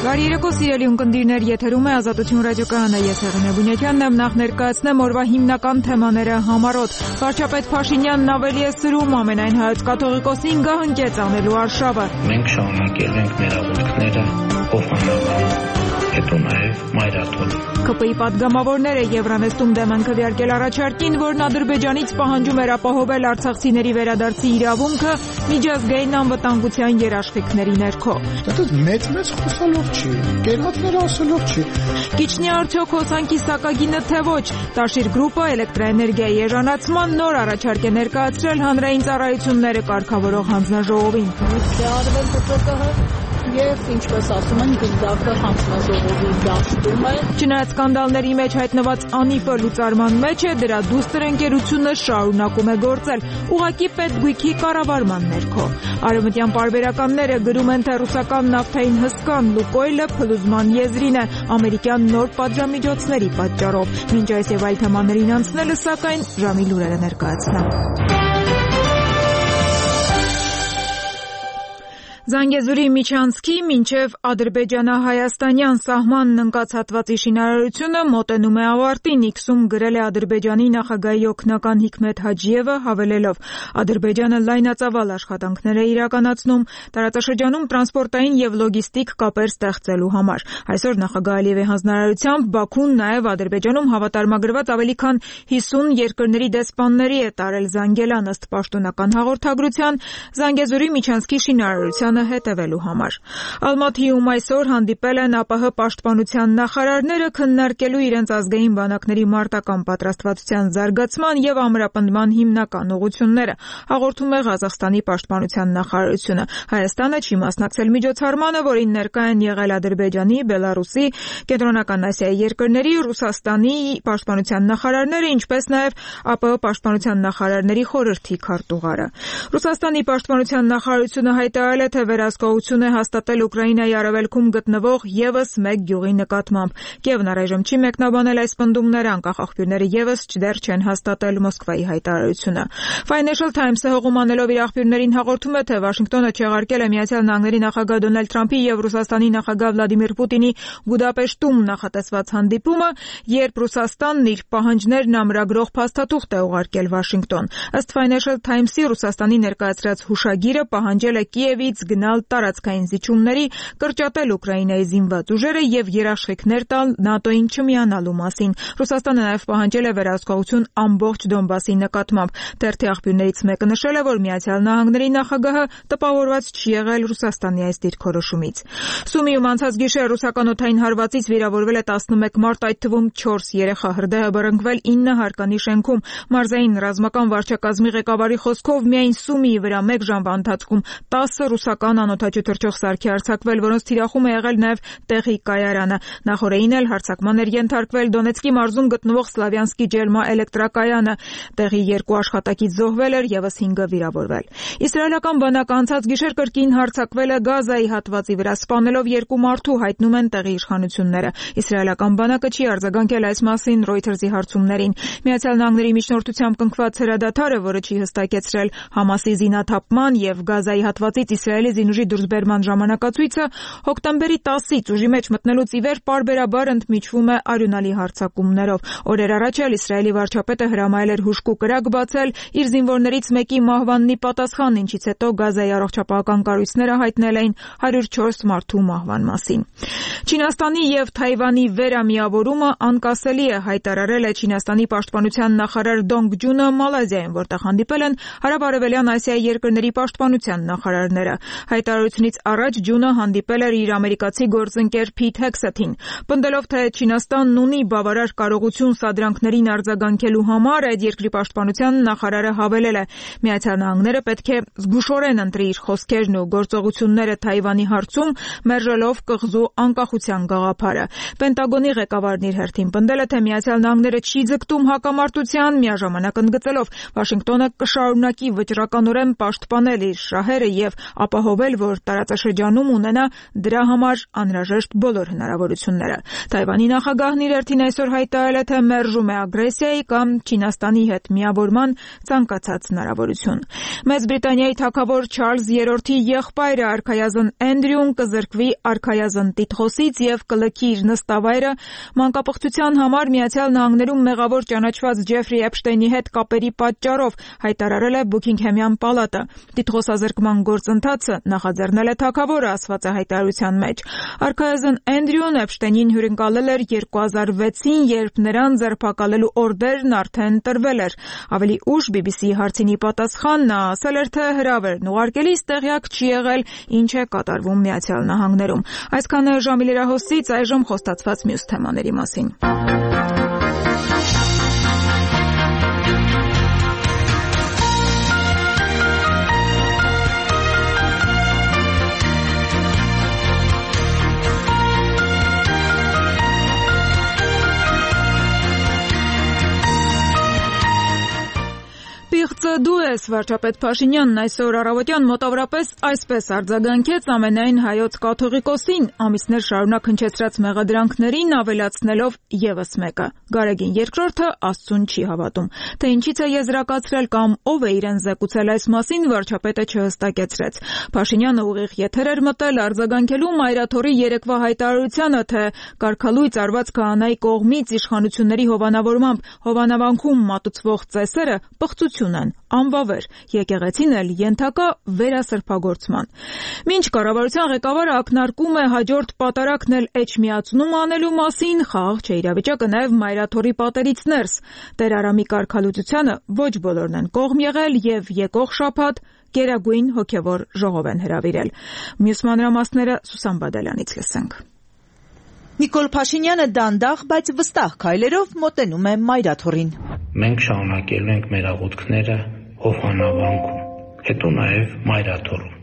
Բարի երեկո սիրելի ունկնդիրներ, եթերում է Ազատություն ռադիոկայանը, ես Հեղինե Բունյակյանն եմ, նախ ներկայացնեմ օրվա հիմնական թեմաները համառոտ։ Վարչապետ Փաշինյանն ավելի է սրում ամենայն հայոց կաթողիկոսին գահընկեց անելու արշավը։ Մենք շարունակել ենք մեր աղոթքները փոխանցել, հետո նաև մայրաթոլ։ ԿՊ-ի պատգամավորները Եվրանեստում դեմ են քվեարկել առաջարկին, որն Ադրբեջանից պահանջում էր ապահովել արցախցիների վերադարձի իրավունքը միջազգային անվտանգության երաշխիքների ներքո։ Մեծ խոսալով չի, կերատները ասելով չի։ Կիչնի արդյոք հոսանքի սակագինը թե ոչ, Տաշիր գրուպը էլեկտրաէներգիայի էժանացման նոր առաջարկ է ներկայացրել հանրային ծառայությունները կարգավորող հանձնաժողովին։ Եվ ինչպես ասում են, գնդակը հանձնաժողովի դաշտում է։ Չնայած սկանդալների մեջ հայտնված անիվը լուծարման մեջ է, դրա դուստր ընկերությունը շարունակում է գործել, ուղղակի պետգույքի կառավարման ներքո։ Արևմտյան պարբերականները գրում են, թե ռուսական նավթային հսկան Լուկոյլը փլուզման եզրին է ամերիկյան նոր պատժամիջոցների պատճառով։ Մինչ այս եւ այլ թեմաներին անցնելը, սակայն ժամի լուրերը ներկայացնեմ։ Զանգեզուրի միջանցքի մինչև ադրբեջանա-հայաստանյան սահմանն ընկած հատվածի շինարարությունը մոտենում է ավարտին, X-ում գրել է Ադրբեջանի նախագահի օգնական Հիկմետ Հաջիևը, հավելելով. Ադրբեջանը լայնածավալ աշխատանքներ է իրականացնում տարածաշրջանում տրանսպորտային եւ լոգիստիկ կապեր ստեղծելու համար։ Այսօր նախագահ Ալիևի հանձնարարությամբ Բաքուն նաեւ Ադրբեջանում հավատարմագրված ավելի քան 50 երկրների դեսպանների է տարել Զանգելան ըստ պաշտոնական հաղորդագրության Զանգեզուրի միջանցքի շինարարության հետևելու համար։ Ալմաթիում այսօր հանդիպել են ԱՊՀ պաշտպանության նախարարները քննարկելու իրենց ազգային բանակների մարտական պատրաստվածության զարգացման եւ ամրապնդման հիմնական ուղղությունները, հաղորդում է Ղազախստանի պաշտպանության նախարարությունը։ Հայաստանը չի մասնակցել միջոցառմանը, որին ներկա են եղել Ադրբեջանի, Բելարուսի, Կենտրոնական Ասիայի երկրների, Ռուսաստանի պաշտպանության նախարարները, ինչպես նաեւ ԱՊՀ պաշտպանության նախարարների խորհրդի քարտուղարը։ Ռուսաստանի պաշտպանության նախարարությունը հայտարարել է, թե վերահսկողություն է հաստատել Ուկրաինայի արևելքում գտնվող եւս մեկ գյուղի նկատմամբ։ Կիևն առայժմ չի մեկնաբանել այս պնդումները, անկախ աղբյուրները եւս դեռ չեն հաստատել Մոսկվայի հայտարարությունը։ Financial Times-ը հողումանելով իր աղբյուրներին հաղորդում է, թե Վաշինգտոնը չեղարկել է Միացյալ Նահանգների նախագահ Դոնալդ Թրամփի եւ Ռուսաստանի նախագահ Վլադիմիր Պուտինի Բուդապեշտում նախատեսված հանդիպումը, երբ Ռուսաստանն իր պահանջներն ամրագրող փաստաթուղթ է ուղարկել Վաշինգտոն։ Ըստ Financial Times-ի Ռուսաստանի ներկայացրած հուշագիրը պահանջել է Կիևից գնալ տարածքային զիջումների, կրճատել Ուկրաինայի զինված ուժերը եւ երաշխիքներ տալ ՆԱՏՕ-ին չմիանալու մասին։ Ռուսաստանը նաեւ պահանջել է վերահսկողություն ամբողջ Դոնբասի նկատմամբ։ Թերթի աղբյուրներից մեկը նշել է, որ Միացյալ Նահանգների նախագահը տպավորված չի եղել Ռուսաստանի այս դիրքորոշումից։ Սումիում անցած գիշեր ռուսական օդային հարվածից վիրավորվել է 11 մարդ, այդ թվում 4 երեխա, հրդեհը բռնկվել 9 հարկանի շենքում։ Մարզային ռազմական վարչակազմի ղեկավարի խոսքով միայն Սումիի վրա 1 ժամվա ընթացքում 10 ռուսական անօդաչու թռչող սարքի արձակվել, որոնց թիրախում է եղել նաև տեղի կայարանը։ Նախորդին էլ հարձակման էր ենթարկվել Դոնեցկի մարզում գտնվող Սլավյանսկի ջերմա էլեկտրակայանը։ Տեղի 2 աշխատակից զոհվել էր, եւս 5-ը վիրավորվել։ Իսրայելական բանակը անցած գիշեր կրկին հարձակվել է Գազայի հատվածի վրա, սպանելով 2 մարդու, հայտնում են տեղի իշխանությունները։ Իսրայելական բանակը չի արձագանքել այս մասին Reuters-ի հարցումներին։ Միացյալ Նահանգների միջնորդությամբ կնքված հրադադարը, որը չի հստակեցրել Համասի զինաթափման եւ Գազայի հատվածից Իսրայելի զինուժի դուրսբերման ժամանակացույցը, հոկտեմբերի 10-ից ուժի մեջ մտնելուց ի վեր պարբերաբար ընդմիջվում է արյունալի հարձակումներով։ Օրեր առաջ էլ Իսրայելի վարչապետը հրամայել էր հուժկու կրակ բացել իր զինվորներից մեկի մահվանն ի պատասխան, ինչից հետո Գազայի առողջապահական կառույցները հայտնել էին 104 մարդու մահվան մասին։ Չինաստանի եւ Թայվանի վերամիավորումը անկասելի է, հայտարարել է Չինաստանի պաշտպանության նախարար Դոնգ Ջունը Մալազիայում, որտեղ հանդիպել են Հարավ-Արևելյան Ասիայի երկրների պաշտպանության նախարարները։ Հայտարարությունից առաջ Ջունը հանդիպել էր իր ամերիկացի գործընկեր Փիթ Հեքսեթին։ Պնդելով, թե Չինաստանն ունի բավարար կարողություն սադրանքներին արձագանքելու համար, այդ երկրի պաշտպանության նախարարը հավելել է. Միացյալ Նահանգները պետք է զգուշորեն ընտրի իր խոսքերն ու գործողությունները Թայվանի հարցում, մերժելով կղզու անկախության գաղափարը։ Պենտագոնի ղեկավարն իր հերթին պնդել է, թե Միացյալ Նահանգները չի ձգտում հակամարտության, միաժամանակ ընդգծելով Վաշինգտոնը կշարունակի վճռականորեն պաշտպանել իր շահերը եւ ապահովել ապահովել, որ տարածաշրջանում ունենա դրա համար անհրաժեշտ բոլոր հնարավորությունները։ Թայվանի նախագահն իր հերթին այսօր հայտարարել է, թե մերժում է ագրեսիայի կամ Չինաստանի հետ միավորման ցանկացած հնարավորություն։ Մեծ Բրիտանիայի թագավոր Չարլզ III-ի եղբայրը արքայազն Էնդրյուն կզրկվի արքայազն տիտղոսից եւ կլքի իր նստավայրը մանկապղծության համար Միացյալ Նահանգներում մեղավոր ճանաչված Ջեֆրի Էփշտեյնի հետ կապերի պատճառով, հայտարարել է Բուքինգհեմյան պալատը։ Տիտղոսազրկման գործընթացը նախաձեռնել է թագավորը, ասված է հայտարարության մեջ։ Արքայազն Էնդրյուն Էփշտեյնին հյուրընկալել էր 2006-ին, երբ նրան ձերբակալելու օրդերն արդեն տրվել էր։ Ավելի ուշ BBC-ի հարցինի պատասխան նա ասել էր, թե հրավերն ուղարկելիս տեղյակ չի եղել, ինչ է կատարվում Միացյալ Նահանգներում։ Այսքանը ժամի լրահոսից, այժմ խոստացված մյուս թեմաների մասին։ Պիղծը դու ես, վարչապետ Փաշինյանն այսօր առավոտյան մոտավորապես այսպես արձագանքեց ամենայն հայոց կաթողիկոսին, ամիսներ շարունակ հնչեցրած մեղադրանքներին ավելացնելով եւս մեկը. Գարեգին II Աստծուն չի հավատում։ Թե ինչից է եզրակացրել կամ ով է իրեն զեկուցել այս մասին, վարչապետը չհստակեցրեց։ Փաշինյանը ուղիղ եթեր էր մտել արձագանքելու Մայրաթորի երեկվա հայտարարությանը, թե կարգալույծ արված քահանայի կողմից իշխանությունների հովանավորմամբ հովանավանքում մատուցվող ծեսերը պղծություն են, անվավեր, եկեղեցին էլ ենթակա վերասրբագործման։ Մինչ կառավարության ղեկավարը ակնարկում է հաջորդ պատարակն էլ էջմիածնում անելու մասին, խաղաղ չէ իրավիճակը նաև Մայրաթորի պատերից ներս։ Տեր Արամի կարգալուծությանը ոչ բոլորն են կողմ եղել եւ եկող շաբաթ գերագույն հոգևոր ժողով են հրավիրել։ Մյուս մանրամասները Սուսան Բադալյանից լսենք։ Նիկոլ Փաշինյանը դանդաղ, բայց վստահ քայլերով մոտենում է Մայրաթորին։ Մենք շարունակելու ենք մեր աղոթքները Հովհաննավանքում, հետո նաև Մայրաթորում։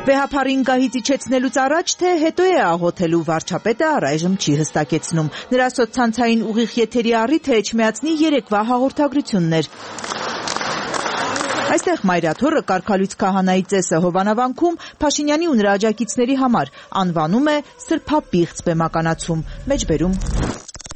Վեհափառին գահից իջեցնելուց առաջ, թե հետո է աղոթելու, վարչապետը առայժմ չի հստակեցնում։ Նրա սոցցանցային ուղիղ եթերի առիթը էջմիածնի երեկվա հաղորդագրությունն էր։ Այստեղ Մայրաթորը կարգալույծ քահանայի ծեսը հովանավանքում Փաշինյանի ու նրա աջակիցների համար անվանում է սրբապիղծ բեմականացում, մեջբերում։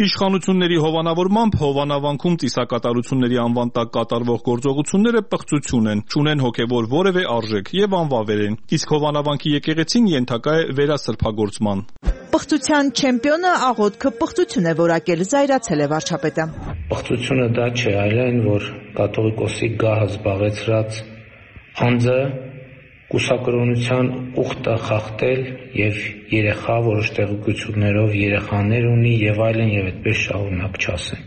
Իշխանությունների հովանավորմամբ հովանավանքում ծիսակատարությունների անվան տակ կատարվող գործողությունները պղծություն են, չունեն հոգևոր որևէ արժեք եւ անվավեր են, իսկ հովանավանքի եկեղեցին ենթակա է վերասրբագործման։ Պղծության չեմպիոնը աղոթքը պղծություն է որակել, զայրացել է վարչապետը։ Պղծությունը դա չէ, այլ այն, որ կաթողիկոսի գահը զբաղեցրած անձը կուսակրոնության ուխտը խախտել եւ երեխա որոշ տեղեկություններով երեխաներ ունի եւ այլն եւ այդպես շարունակ չասեն։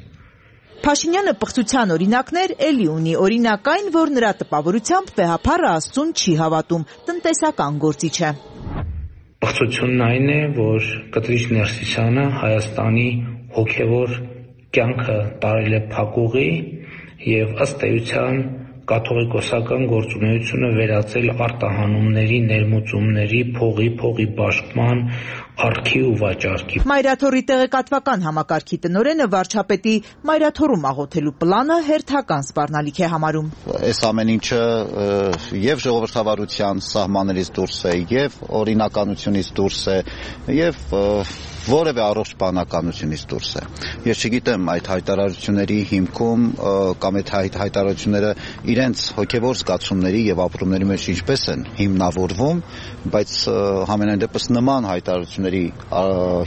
Փաշինյանը պղծության օրինակներ էլի ունի, օրինակ այն, որ նրա տպավորությամբ վեհափառը Աստծուն չի հավատում, տնտեսական գործիչ է։ Պղծությունն այն է, որ Կտրիչ Ներսիսյանը Հայաստանի հոգևոր կյանքը տարել է փակուղի եւ ըստ էության կաթողիկոսական գործունեությունը վերածել արտահանումների, ներմուծումների, փողի բաշխման, արքի ու վաճառքի։ Մայրաթորի տեղեկատվական համակարգի տնօրենը վարչապետի Մայրաթորում աղոթելու պլանը հերթական սպառնալիք է համարում։ Այս ամեն ինչը եւ ժողովրդավարության սահմաններից դուրս է, եւ օրինականությունից դուրս է, եւ որևէ առողջ բանականությունից դուրս է։ Ես չգիտեմ այդ հայտարարությունների հիմքում կամ այդ հայտարարությունները իրենց հոգևոր զգացումների եւ ապրումների մեջ ինչպես են հիմնավորվում, բայց համենայն դեպս նման հայտարարությունների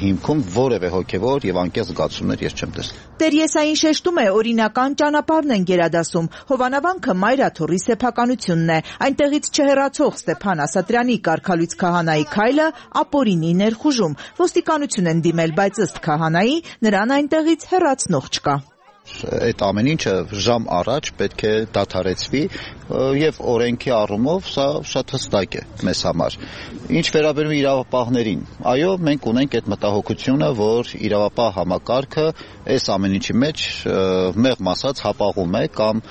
հիմքում որևէ հոգևոր եւ անկեղծ զգացումներ ես չեմ տեսել։ Տեր Եսային շեշտում է, օրինական ճանապարհն են գերադասում։ Հովանավանքը Մայրաթորի սեփականությունն է։ Այնտեղից չհեռացող Ստեփան Ասատրյանի կարգալույծ քահանայի քայլը ապօրինի ներխուժում։ Ոստիկանություն են դիմել, բայց ըստ քահանայի նրան այնտեղից հեռացնող չկա։ Այդ ամեն ինչը ժամ առաջ պետք է դադարեցվի եւ օրենքի առումով սա շատ հստակ է մեզ համար։ Ինչ վերաբերում է իրավապահներին, այո, մենք ունենք այդ մտահոգությունը, որ իրավապահ համակարգը այս ամեն ինչի մեջ մեղմ ասած հապաղում է կամ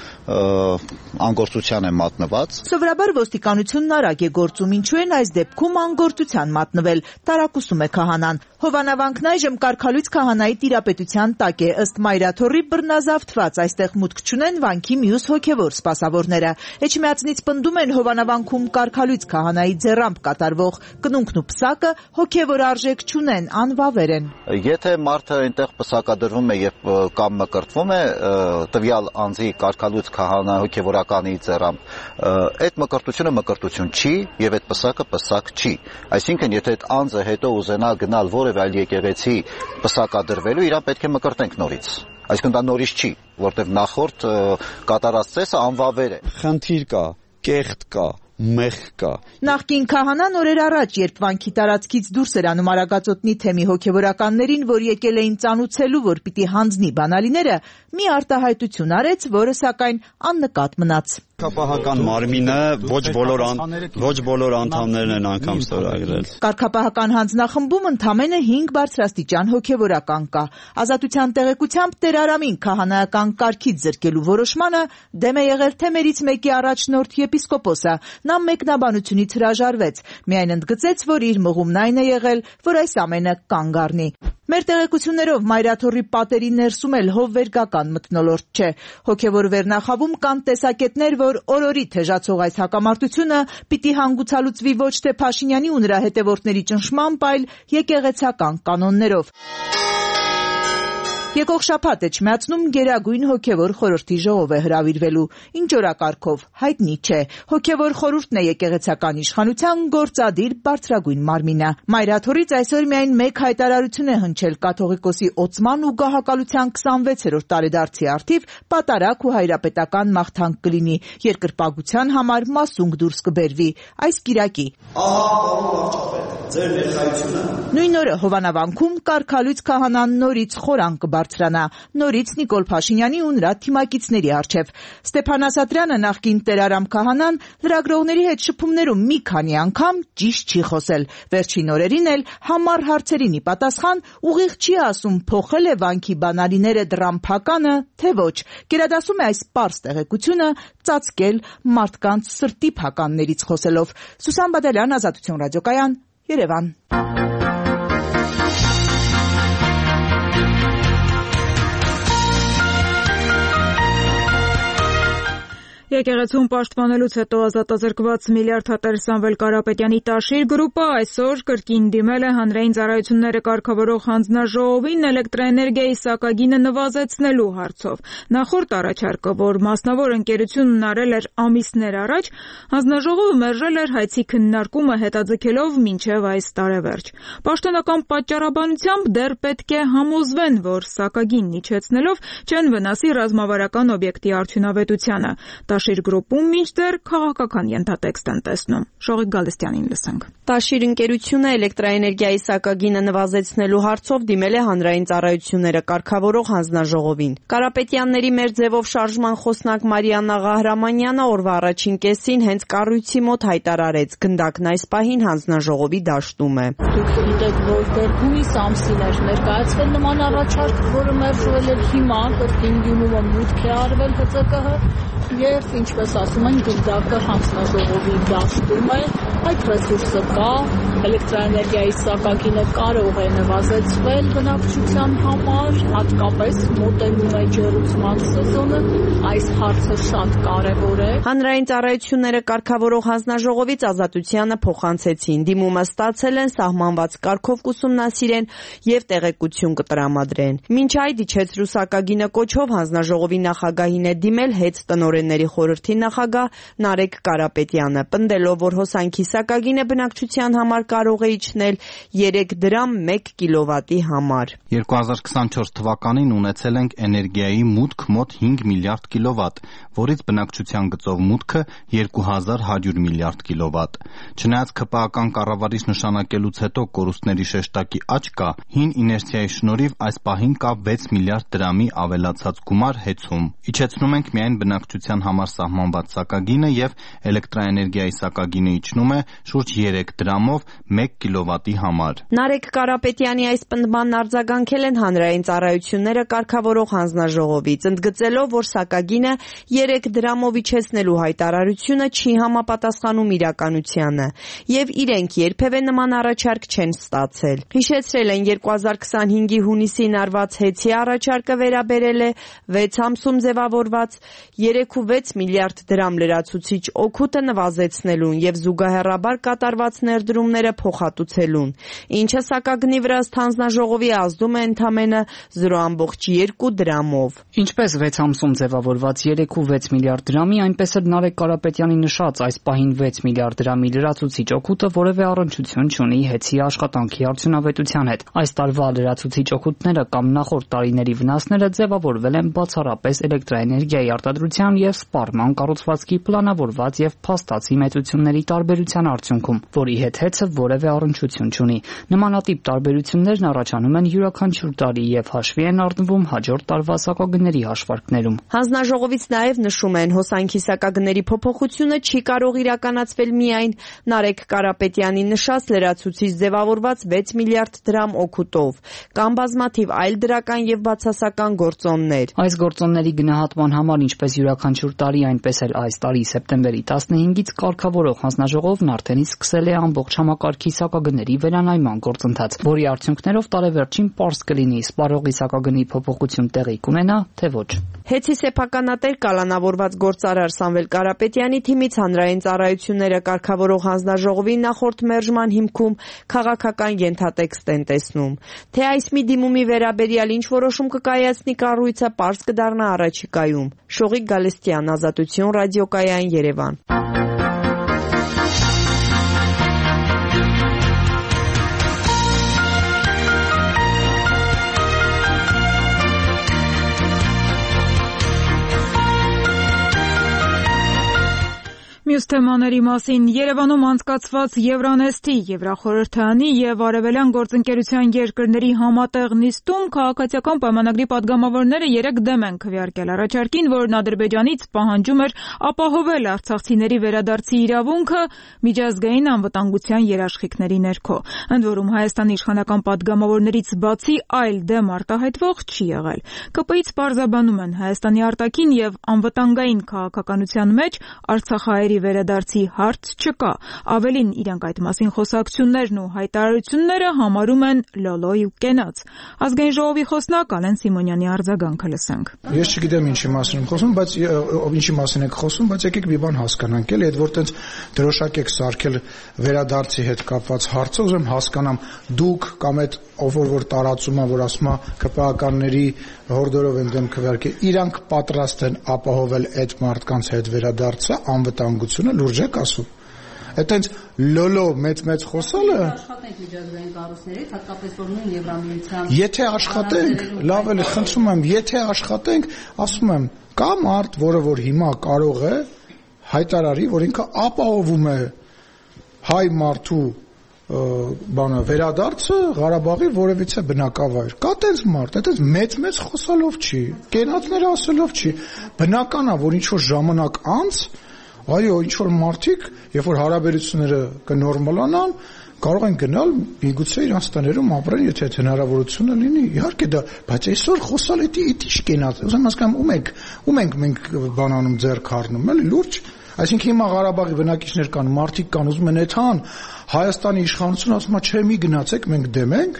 անգործության է մատնված։ Սովորաբար ոստիկանությունն արագ է գործում, ինչու են այս դեպքում անգործության մատնվել, տարակուսում է քահանան։ Հովանավանքն այժմ կարգալույծ քահանայի տիրապետության տակ է, ըստ Մայրաթորի բռնազավթված, այստեղ մուտք չունեն վանքի մյուս հոգևոր սպասավորները։ Էջմիածնից պնդում են Հովանավանքում կարգալույց քահանայի ձեռամբ կատարվող կնունքն ու պսակը հոգևոր արժեք չունեն, անվավեր են։ Եթե մարդը այնտեղ պսակադրվում է եւ կամ մկրտվում է տվյալ անձի կարգալույց քահանա հոգևորականի ձեռամբ, այդ մկրտությունը մկրտություն չի եւ այդ պսակը պսակ չի։ Այսինքն, եթե այդ անձը հետո ուզենա գնալ որևէ այլ եկեղեցի պսակադրվելու, իրան պետք է մկրտենք նորից։ Այսինքն դա նորից չի, որտեղ նախորդ կատարած ծեսը անվավեր է։ Խնդիր կա, կեղտ կա, մեղք կա։ Նախկին քահանան օրեր առաջ, երբ վանքի տարածքից դուրս էր անում Արագածոտնի թեմի հոգևորականներին, որ եկել էին ծանուցելու, որ պիտի հանձնի բանալիները, մի արտահայտություն արեց, որը սակայն աննկատ մնաց։ Կարգապահական մարմինը ոչ բոլոր անդամներն են անգամ ստորագրել։ Կարգապահական հանձնախմբում ընդամենը 5 բարձրաստիճան հոգևորական կա։ Ազատության տեղեկությամբ Տեր Արամին քահանայական կարգից զրկելու որոշմանը դեմ է եղել թեմերից մեկի առաջնորդ եպիսկոպոսը։ Նա մեկնաբանությունից հրաժարվեց, միայն ընդգծեց, որ իր մղումն այն է եղել, որ այս ամենը կանգ առնի։ Մեր տեղեկություններով Մայրաթոռի պատերի ներսում էլ հովվերգական մթնոլորտ չէ։ Հոգևոր վերնախավում կան տեսակետներ, որ օրորի թեժացող այս հակամարտությունը պիտի հանգուցալուծվի ոչ թե Փաշինյանի ու նրա հետևորդների ճնշմամբ, այլ եկեղեցական կանոններով։ Եկող շաբաթ Էջմիածնում Գերագույն հոգևոր խորհրդի ժողով է հրավիրվելու, ինչ օրակարգով հայտնի չէ։ Հոգևոր խորհուրդն է եկեղեցական իշխանության գործադիր բարձրագույն մարմինը։ Մայրաթոռից այսօր միայն մեկ հայտարարություն է հնչել կաթողիկոսի օծման ու գահակալության 26-րդ տարեդարձի առթիվ պատարակ ու հայրապետական մաղթանք կլինի, երկրպագության համար մասունք դուրս կբերվի այս կիրակի։ Ձեր ներկայությունը նույն օրը Հովանավանքում կարգալույց քահանան նորից խորան կբարձրանա, նորից Նիկոլ Փաշինյանի ու նրա թիմակիցների առջև։ Ստեփան Ասատրյանը, նախկին Տեր Արամ քահանան, լրագրողների հետ շփումներում մի քանի անգամ ճիշտ չի խոսել։ Վերջին օրերին էլ համառ հարցերին ի պատասխան ուղիղ չի ասում փոխել է վանքի բանալիները դրամփականը, թե ոչ։ Գերադասում է այս պարզ տեղեկությունը ծածկել մարդկանց սրտի փականներից խոսելով։ Սուսան Բադալյան, Ազատություն ռադիոկայան, Երևան։ Եկեղեցուն պաշտպանելուց հետո ազատազրկված միլիարդատեր Սամվել Կարապետյանի Տաշիր գրուպը այսօր կրկին դիմել է հանրային ծառայությունները կարգավորող հանձնաժողովին էլեկտրաէներգիայի սակագինը նվազեցնելու հարցով։ Նախորդ առաջարկը, որ մասնավոր ընկերությունն արել էր ամիսներ առաջ, հանձնաժողովը մերժել էր հայցի քննարկումը հետաձգելով մինչև այս տարեվերջ։ Պաշտոնական պատճառաբանությամբ դեռ պետք է համոզվեն, որ սակագինն իջեցնելով չեն վնասի ռազմավարական օբյեկտի արդյունավետությանը։ Տաշիր գրուպում մինչդեռ քաղաքական ենթատեքստ են տեսնում։ Շողիկ Գալստյանին լսենք։ Տաշիր ընկերությունը էլեկտրաէներգիայի սակագինը նվազեցնելու հարցով դիմել է հանրային ծառայությունները կարգավորող հանձնաժողովին։ Կարապետյանների մեր ձևով շարժման խոսնակ Մարիաննա Ղահրամանյանը օրվա առաջին կեսին հենց կառույցի մոտ հայտարարեց, գնդակն այս պահին հանձնաժողովի դաշտում է։ Դուք գիտեք, որ դեռ հունիս ամսին էր ներկայացվել նման առաջարկ, որը մերժվել էր հիմա, կրկին դիմումը մուտք է արվել ՀԾԿ-ը, եւ ինչպես ասում են, գնդակը հանձնաժողովի դաշտում է, այդ ռեսուրսը կա, էլեկտրաէներգիայի սակագինը կարող է նվազեցվել բնակչության համար, հատկապես մոտենում է ջերուցման սեզոնը, այս հարցը շատ կարևոր է։ Հանրային ծառայությունները կարգավորող հանձնաժողովից Ազատությանը փոխանցեցին, դիմումը ստացել են, սահմանված կարգով կուսումնասիրեն եւ տեղեկություն կտրամադրեն։ Մինչ այդ իջեցրու սակագինը կոչով հանձնաժողովի նախագահին է դիմել հետ տնօրենների խորհրդի նախագահ Նարեկ Կարապետյանը, պնդելով, որ հոսանքի սակագինը բնակչության համար կարող է իջնել 3 դրամ 1 կիլովատի համար։ 2024 թվականին ունեցել ենք էներգիայի մուտք մոտ 5 միլիարդ կիլովատ, որից բնակչության գծով մուտքը 2100 միլիարդ կիլովատ։ Չնայած ԿՊԱ-ական կառավարիչ նշանակելուց հետո կորուստների շեշտակի աճ կա, հին իներցիայի շնորհիվ այս պահին կա 6 միլիարդ դրամի ավելացած գումար հեծում։ Իջեցնում ենք միայն բնակչության համար սահմանված սակագինը եւ էլեկտրաէներգիայի սակագինը իջնում առաջանում է շուրջ 3 դրամով 1 կիլովատի համար։ Նարեկ Կարապետյանի այս պնդմանն արձագանքել են հանրային ծառայությունները կարգավորող հանձնաժողովից, ընդգծելով, որ սակագինը 3 դրամով իջեցնելու հայտարարությունը չի համապատասխանում իրականությանը եւ իրենք երբևէ նման առաջարկ չեն ստացել։ Հիշեցրել են 2025-ի հունիսին արված հեծի առաջարկը վերաբերել է 6 ամսում ձևավորված 3.6 միլիարդ դրամ լրացուցիչ օգուտը նվազեցնելուն եւ զուգահեռաբար կատարված ներդրումները փոխհատուցելուն, ինչը սակագնի վրա ըստ հանձնաժողովի ազդում է ընդամենը 0.2 դրամով։ Ինչպես 6 ամսում ձևավորված 3.6 միլիարդ դրամի, այնպես էլ Նարեկ Կարապետյանի նշած այս պահին 6 միլիարդ դրամի լրացուցիչ օգուտը որևէ առնչություն չունի հեծի աշխատանքի արդյունավետության հետ։ Այս տարվա լրացուցիչ օգուտները կամ նախորդ տարիների վնասները ձևավորվել են բացառապես էլեկտրաէներգիայի արտադրության եւ սպառման կառուցվածքի պլանավորված եւ փաստացի մեծությունների տարբերության արդյունքում, որի հետ հեծը որևէ առնչություն չունի։ Նմանատիպ տարբերություններն առաջանում են յուրաքանչյուր տարի եւ հաշվի են առնվում հաջորդ տարվա սակագների հաշվարկներում։ Հանձնաժողովից նաեւ նշում են, հոսանքի սակագների փոփոխությունը չի կարող իրականացվել միայն Նարեկ Կարապետյանի նշած լրացուցիչ ձևավորված 6 միլիարդ դրամ օգուտով, կամ բազմաթիվ այլ դրական եւ բացասական գործոններ։ Այս գործոնների գնահատման համար ինչպես յուրաքանչյուր տարի, այնպես էլ այս տարի սեպտեմբերի 15-ից կարգավորող հանձնաժողովն արդեն սկսել է ամբողջ համակարգի սակագների վերանայման գործընթաց, որի արդյունքներով տարեվերջին պարզ կլինի սպառողի սակագնի փոփոխություն տեղի կունենա, թե ոչ։ Հեծի սեփականատեր կալանավորված գործարար Սամվել Կարապետյանի թիմից հանրային ծառայությունները կարգավորող հանձնաժողովի նախորդ մերժման հիմքում քաղաքական ենթատեքստ են տեսնում։ Թե այս մի դիմումի վերաբերյալ ինչ որոշում կկայացնի կառույցը, պարզ կդառնա առաջիկայում։ Շողիկ Գալստյան, Ազատություն, ռադիոկայան, Երևան։ Մյուս թեմաների մասին Երևանում անցկացված Евронեստի Եվրախորհրդանի եւ Արևելյան գործընկերության երկրների համատեղ նիստում քաղաքացիական պայմանագրի падգամավորները 3 դեմ են քվեարկել առաջարկին, որն Ադրբեջանից պահանջում էր ապահովել արցախցիների վերադարձի իրավունքը միջազգային անվտանգության երաշխիքների ներքո։ Ընդ որում Հայաստանի իշխանական падգամավորներից բացի այլ դեմ արտահայտվող չի եղել։ ԿՊ-ից պարզաբանում են Հայաստանի արտաքին եւ անվտանգային քաղաքականության մեջ Արցախահայերի վերադարձի հարց չկա։ Ավելին, իրենք այդ մասին խոսակցություններն ու հայտարարությունները համարում են լոլոյ ու կենաց։ Ազգային ժողովի խոսնակ Ալեն Սիմոնյանի արձագանքը լսենք։ Ես չգիտեմ ինչի մասին եմ խոսում, բայց ինչի մասին եք խոսում, բայց եկեք մի բան հասկանանք, էլի, այդ որ տենց դրոշակ եք սարքել վերադարձի հետ կապված հարցը, ուզում հասկանամ, դուք կամ այդ ով որ տարածում է, որ ասում է ԿՊԱ-ականների հորդորով են դեմ քվեարկել, իրանք պատրաստ են ապահովել այդ մարդկանց հետ վերադարձը, անվտանգությունը, լուրջ եք ասում։ Այդտենց լոլո մեծ խոսալը աշխատենք միջազգային կառույցներից, հատկապես որ նույն Եվրամիության Եթե աշխատենք, լավ էլ խնդրում եմ, եթե աշխատենք, ասում եմ, կա մարդ, որը որ հիմա կարող է հայտարարի, որ ինքը ապահովում է հայ մարդու բանը վերադարձը Ղարաբաղի որևիցե բնակավայր։ Կա տենց մարդ, այդպես մեծ խոսալով չի, կենացներ ասելով չի։ Բնական է, որ ինչ որ ժամանակ անց, այո, ինչ որ մարդիկ, երբ որ հարաբերությունները կնորմալանան, կարող են գնալ միգուցե իրանց տներում ապրեն, եթե այդ հնարավորությունը լինի։ Իհարկե դա, բայց այսօր խոսալ էդի ինչ կենաց։ Ուզում հասկանամ ում ենք մենք բանանում ձեռք առնում, էլի լուրջ։ Այսինքն հիմա Ղարաբաղի բնակիչներ կան, մարդիկ կան, ուզում են այդքան Հայաստանի իշխանությունը ասում է, չէ, մի գնացեք, մենք դեմ ենք։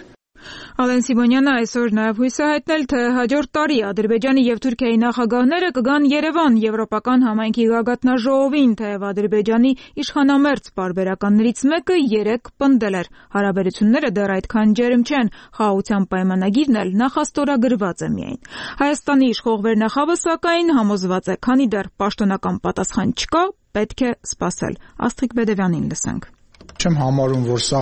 Ալեն Սիմոնյանը այսօր նաև հույս է հայտնել, թե հաջորդ տարի Ադրբեջանի եւ Թուրքիայի նախագահները կգան Երևան Եվրոպական համայնքի գագաթնաժողովին, թեև Ադրբեջանի իշխանամերձ պարբերականներից մեկը 3 պնդել էր. հարաբերությունները դեռ այդքան ջերմ չեն, խաղաղության պայմանագիրն էլ նախաստորագրված է միայն։ Հայաստանի իշխող վերնախավը սակայն համոզված է, քանի դեռ պաշտոնական պատասխան չկա, պետք է սպասել։ Աստղիկ Բեդևյանին լսենք։ Չեմ համարում, որ սա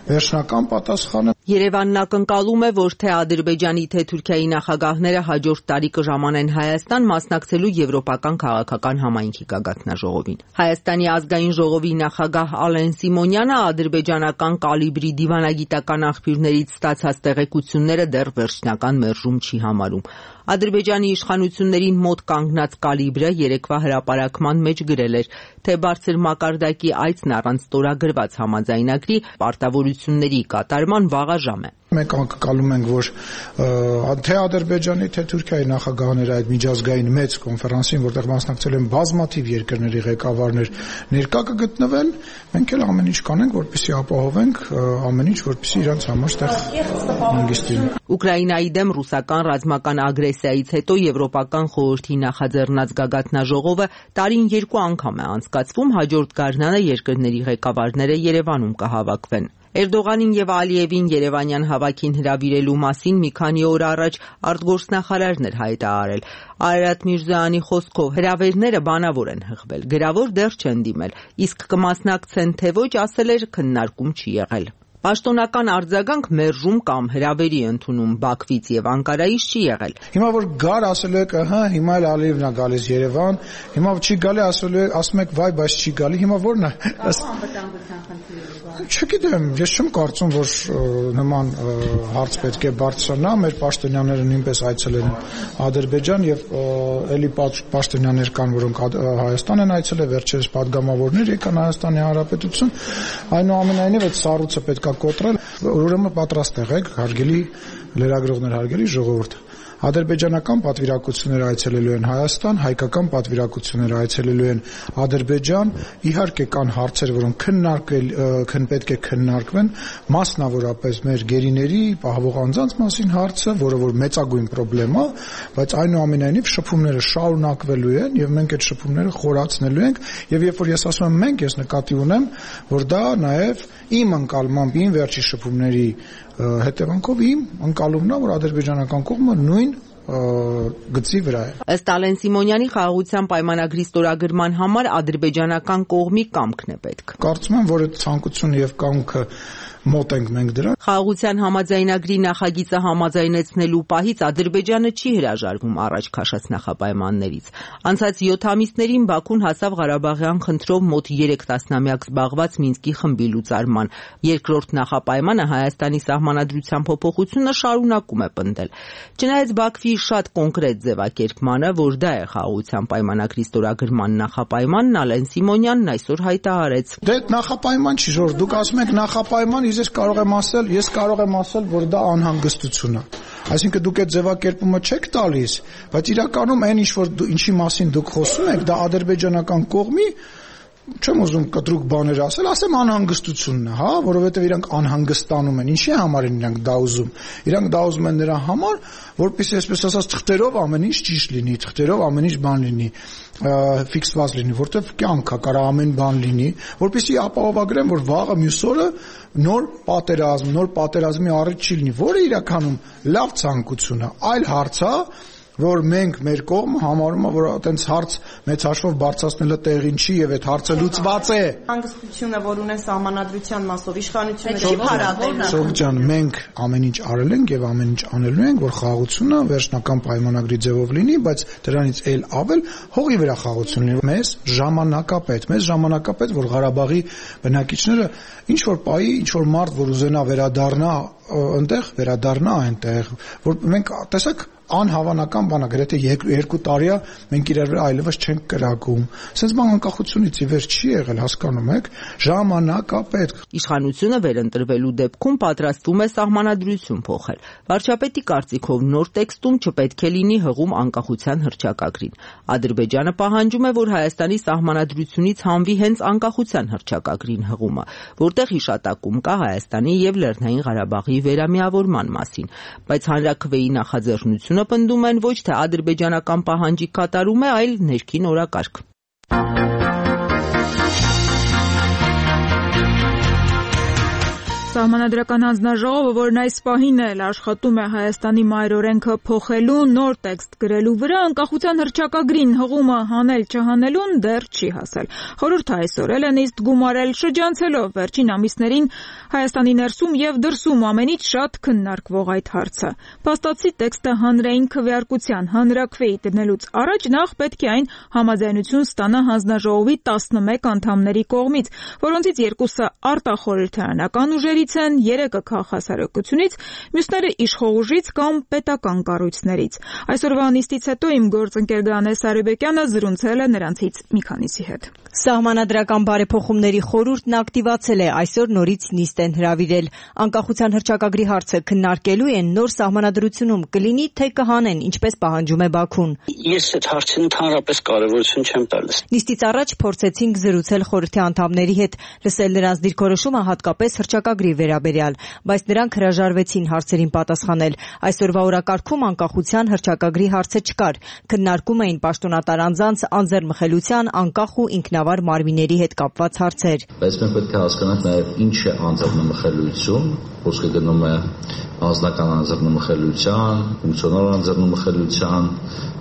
վերջնական պատասխան է։ Երևանն ակնկալում է, որ թե Ադրբեջանի, թե Թուրքիայի նախագահները հաջորդ տարի կժամանեն Հայաստան մասնակցելու եվրոպական քաղաքական համայնքի գագաթնաժողովին։ Հայաստանի ազգային ժողովի նախագահ Ալեն Սիմոնյանը ադրբեջանական կալիբրի դիվանագիտական աղբյուրներից ստացած տեղեկությունները դեռ վերջնական մերժում չի համարում։ Ադրբեջանի իշխանություններին մոտ կանգնած կալիբրը երեկվա հրապարակման մեջ գրել էր, թե բարձր մակարդակի այցն առանց ստորագրված համաձայնագրի պարտավորությունների կատարման վաղաժամ է։ Մենք ակնկալում ենք, որ թե Ադրբեջանի, թե Թուրքիայի նախագահները այդ միջազգային մեծ կոնֆերանսին, որտեղ մասնակցել են բազմաթիվ երկրների ղեկավարներ, ներկա կգտնվեն, մենք էլ ամեն ինչ կանենք, որպեսզի ապահովենք ամեն ինչ, որպեսզի իրանց համար ստեղ հանգիստ լինի։ Ուկրաինայի դեմ ռուսական ռազմական ագրեսիայից հետո Եվրոպական խորհրդի նախաձեռնած գագաթնաժողովը տարին 2 անգամ է անցկացվում, հաջորդ գարնանը երկրների ղեկավարները Երևանում կհավաքվեն։ Էրդողանին եւ Ալիևին Երևանյան հավաքին հրավիրելու մասին մի քանի օր առաջ արտգործնախարարն էր հայտարարել։ Արարատ Միրզոյանի խոսքով հրավերները բանավոր են հղվել, գրավոր դեռ չեն դիմել, իսկ կմասնակցեն թե ոչ, ասել էր, քննարկում չի եղել։ Պաշտոնական արձագանք մերժում կամ հրավերի ընդունում Բաքվից եւ Անկարայից չի եղել։ Հիմա որ գար ասել եք, հիմա էլ Ալիևն է գալիս Երևան, հիմա չի գալի, ասում եք, վայ, բայց չի գալի, հիմա ո՞րն է։ Չգիտեմ, ես չեմ կարծում, որ նման հարց պետք է բարձրանա, մեր պաշտոնյաները նույնպես այցելել են Ադրբեջան եւ էլի պաշտոնյաներ կան, որոնք Հայաստան են այցելել, վերջերս падգամավորներ եկան Հայաստանի Հանրապետություն, այնուամենայնիվ այդ սառույցը պետք է կոտրել, ուրեմն պատրաստ եղեք, հարգելի լրագրողներ, հարգելի ժողովուրդ։ Ադրբեջանական պատվիրակությունները այցելելու են Հայաստան, հայկական պատվիրակությունները այցելելու են Ադրբեջան, իհարկե կան հարցեր, որոնք պետք է քննարկվեն, մասնավորապես մեր գերիների պահվող անձանց մասին հարցը, որը որ մեծագույն խնդրեմ է, բայց այնուամենայնիվ շփումները շարունակվելու են եւ մենք այդ շփումները խորացնելու ենք եւ երբ որ ես ասում եմ մենք, ես նկատի ունեմ, որ դա նաեւ իմ ընկալմամբ իմ վերջի շփումների հետևանքով իմ ընկալումն է, որ ադրբեջանական կողմը նույն գծի վրա է։ Ըստ Ալեն Սիմոնյանի խաղաղության պայմանագրի ստորագրման համար ադրբեջանական կողմի կամքն է պետք։ Կարծում եմ, որ այդ ցանկությունը եւ կամքը մոտ ենք մենք դրան։ Խաղաղության համաձայնագրի նախագիծը համաձայնեցնելու պահից Ադրբեջանը չի հրաժարվում առաջ քաշած նախապայմաններից։ Անցած 7 ամիսներին Բաքուն հասավ Ղարաբաղյան խնդրով մոտ 3 տասնամյակ զբաղված Մինսկի խմբի լուծարման։ Երկրորդ նախապայմանը Հայաստանի սահմանադրության փոփոխությունը շարունակում է պնդել։ Չնայած Բաքվի շատ կոնկրետ ձևակերպմանը, որ դա է խաղաղության պայմանագրի ստորագրման նախապայմանն, Ալեն Սիմոնյանն այսօր հայտարարեց։ Դե նախապայման չի, որ դուք ասում եք նախապայման, ես կարող եմ ասել, որ դա անհանգստություն է։ Այսինքն դուք այդ ձևակերպումը չեք տալիս, բայց իրականում այն ինչի մասին դուք խոսում եք, դա ադրբեջանական կողմի չեմ ուզում կտրուկ բաներ ասեմ անհանգստությունն է, հա, որովհետև իրանք անհանգստանում են։ Ինչի համար են իրանք դա ուզում։ Իրանք դա ուզում են նրա համար, որպեսզի այսպես ասած թղթերով ամեն ինչ ճիշտ լինի, թղթերով ամեն ինչ բան լինի, ֆիքսված լինի, որտեղ կյանք է, կարող ամեն բան լինի, որպեսզի ապահովագրեն, որ վաղը մյուս օրը նոր պատերազմի առիթ չի լինի, որը իրականում լավ ցանկություն է, այլ հարց է, որ մենք մեր կողմը համարում է, որ այտենց հարց մեծ հաշվով բարձրացնելը տեղին չի եւ այդ հարցը լուծված է։ Հանգստությունը, որ ունեն սահմանադրության մասով իշխանությունը չի փարատել։ Սողջ ջան, մենք ամեն ինչ արել ենք եւ ամեն ինչ անելու ենք, որ խաղաղությունը վերջնական պայմանագրի ձևով լինի, բայց դրանից էլ ավել հողի վրա խաղաղություն լինի։ Մեզ ժամանակապետ, որ Ղարաբաղի բնակիչները ինչ որ պայի, ինչ որ մարդ, որ ուզենա վերադառնա այնտեղ, որ մենք տեսակ անհավանական բան է, գրեթե 2 տարի է մենք իրար վրա այլևս չենք կրակում։ Սենց բան անկախությունից ի վեր չի եղել, հասկանում եք, ժամանակապետ։ Իշխանությունը վերընտրվելու դեպքում պատրաստվում է սահմանադրություն փոխել։ Վարչապետի կարծիքով նոր տեքստում չպետք է լինի հղում անկախության հռչակագրին։ Ադրբեջանը պահանջում է, որ Հայաստանի սահմանադրությունից հանվի հենց անկախության հռչակագրին հղումը, որտեղ հիշատակում կա Հայաստանի եւ Լեռնային Ղարաբաղի վերամիավորման մասին, բայց հանրաքվեի նախաձեռնությունը պնդում են ոչ թե ադրբեջանական պահանջի կատարում է, այլ ներքին օրակարգ։ Սահմանադրական հանձնաժողովը, որն այս պահին էլ աշխատում է Հայաստանի մայրօրենքը փոխելու նոր տեքստ գրելու վրա, անկախության հռչակագրին հղումը հանել չհանելուն դեռ չի հասել։ Խորհուրդը այսօր էլ է նիստ գումարել, շրջանցելով վերջին ամիսներին Հայաստանի ներսում եւ դրսում ամենից շատ քննարկվող այդ հարցը։ Փաստացի տեքստը հանրային քվեարկության հանրաքվեի դնելուց առաջ նախ պետք է այն համաձայնություն ստանա հանձնաժողովի 11 անդամների կողմից, որոնցից 2-ը արտախորհրդարանական ուժերից են, 3-ը քաղաքասարակությունից, մյուսները իշխող կամ պետական կառույցներից։ Այսօրվա նիստից հետո իմ գործընկեր Գանե Սարիբեկյանը զրուցել է նրանցից մի քանիսի հետ։ Սահմանադրական բարեփոխումների խորհուրդն ակտիվացել է, այսօր նորից նիստ են հրավիրել։ Անկախության հռչակագրի հարցը քննարկելու են նոր սահմանադրությունում կլինի, թե կհանեն, ինչպես պահանջում է Բաքուն։ Ես այդ հարցին ընդհանրապես կարևորություն չեմ տալիս։ Նիստից առաջ փորձեցինք զրուցել խորհրդի անդամների հետ, լսել նրանց դիրքորոշումը հատկապես հռչակագրի վերաբերյալ, բայց նրանք հրաժարվեցին հարցերին պատասխանել։ Այսօրվա օրակարգում անկախության հռչակագրի հարցը չկար։ Քննարկում էին պաշտոնատար անձանց անձեռնմխելիության, անկախ ու ինքնավար մարմինների հետ կապված հարցեր։ Բայց մենք պետք է հասկանանք նաև ինչ է անձեռնմխելիություն, խոսքը գնում է անձնական անձեռնմխելիության, ֆունկցիոնալ անձեռնմխելիության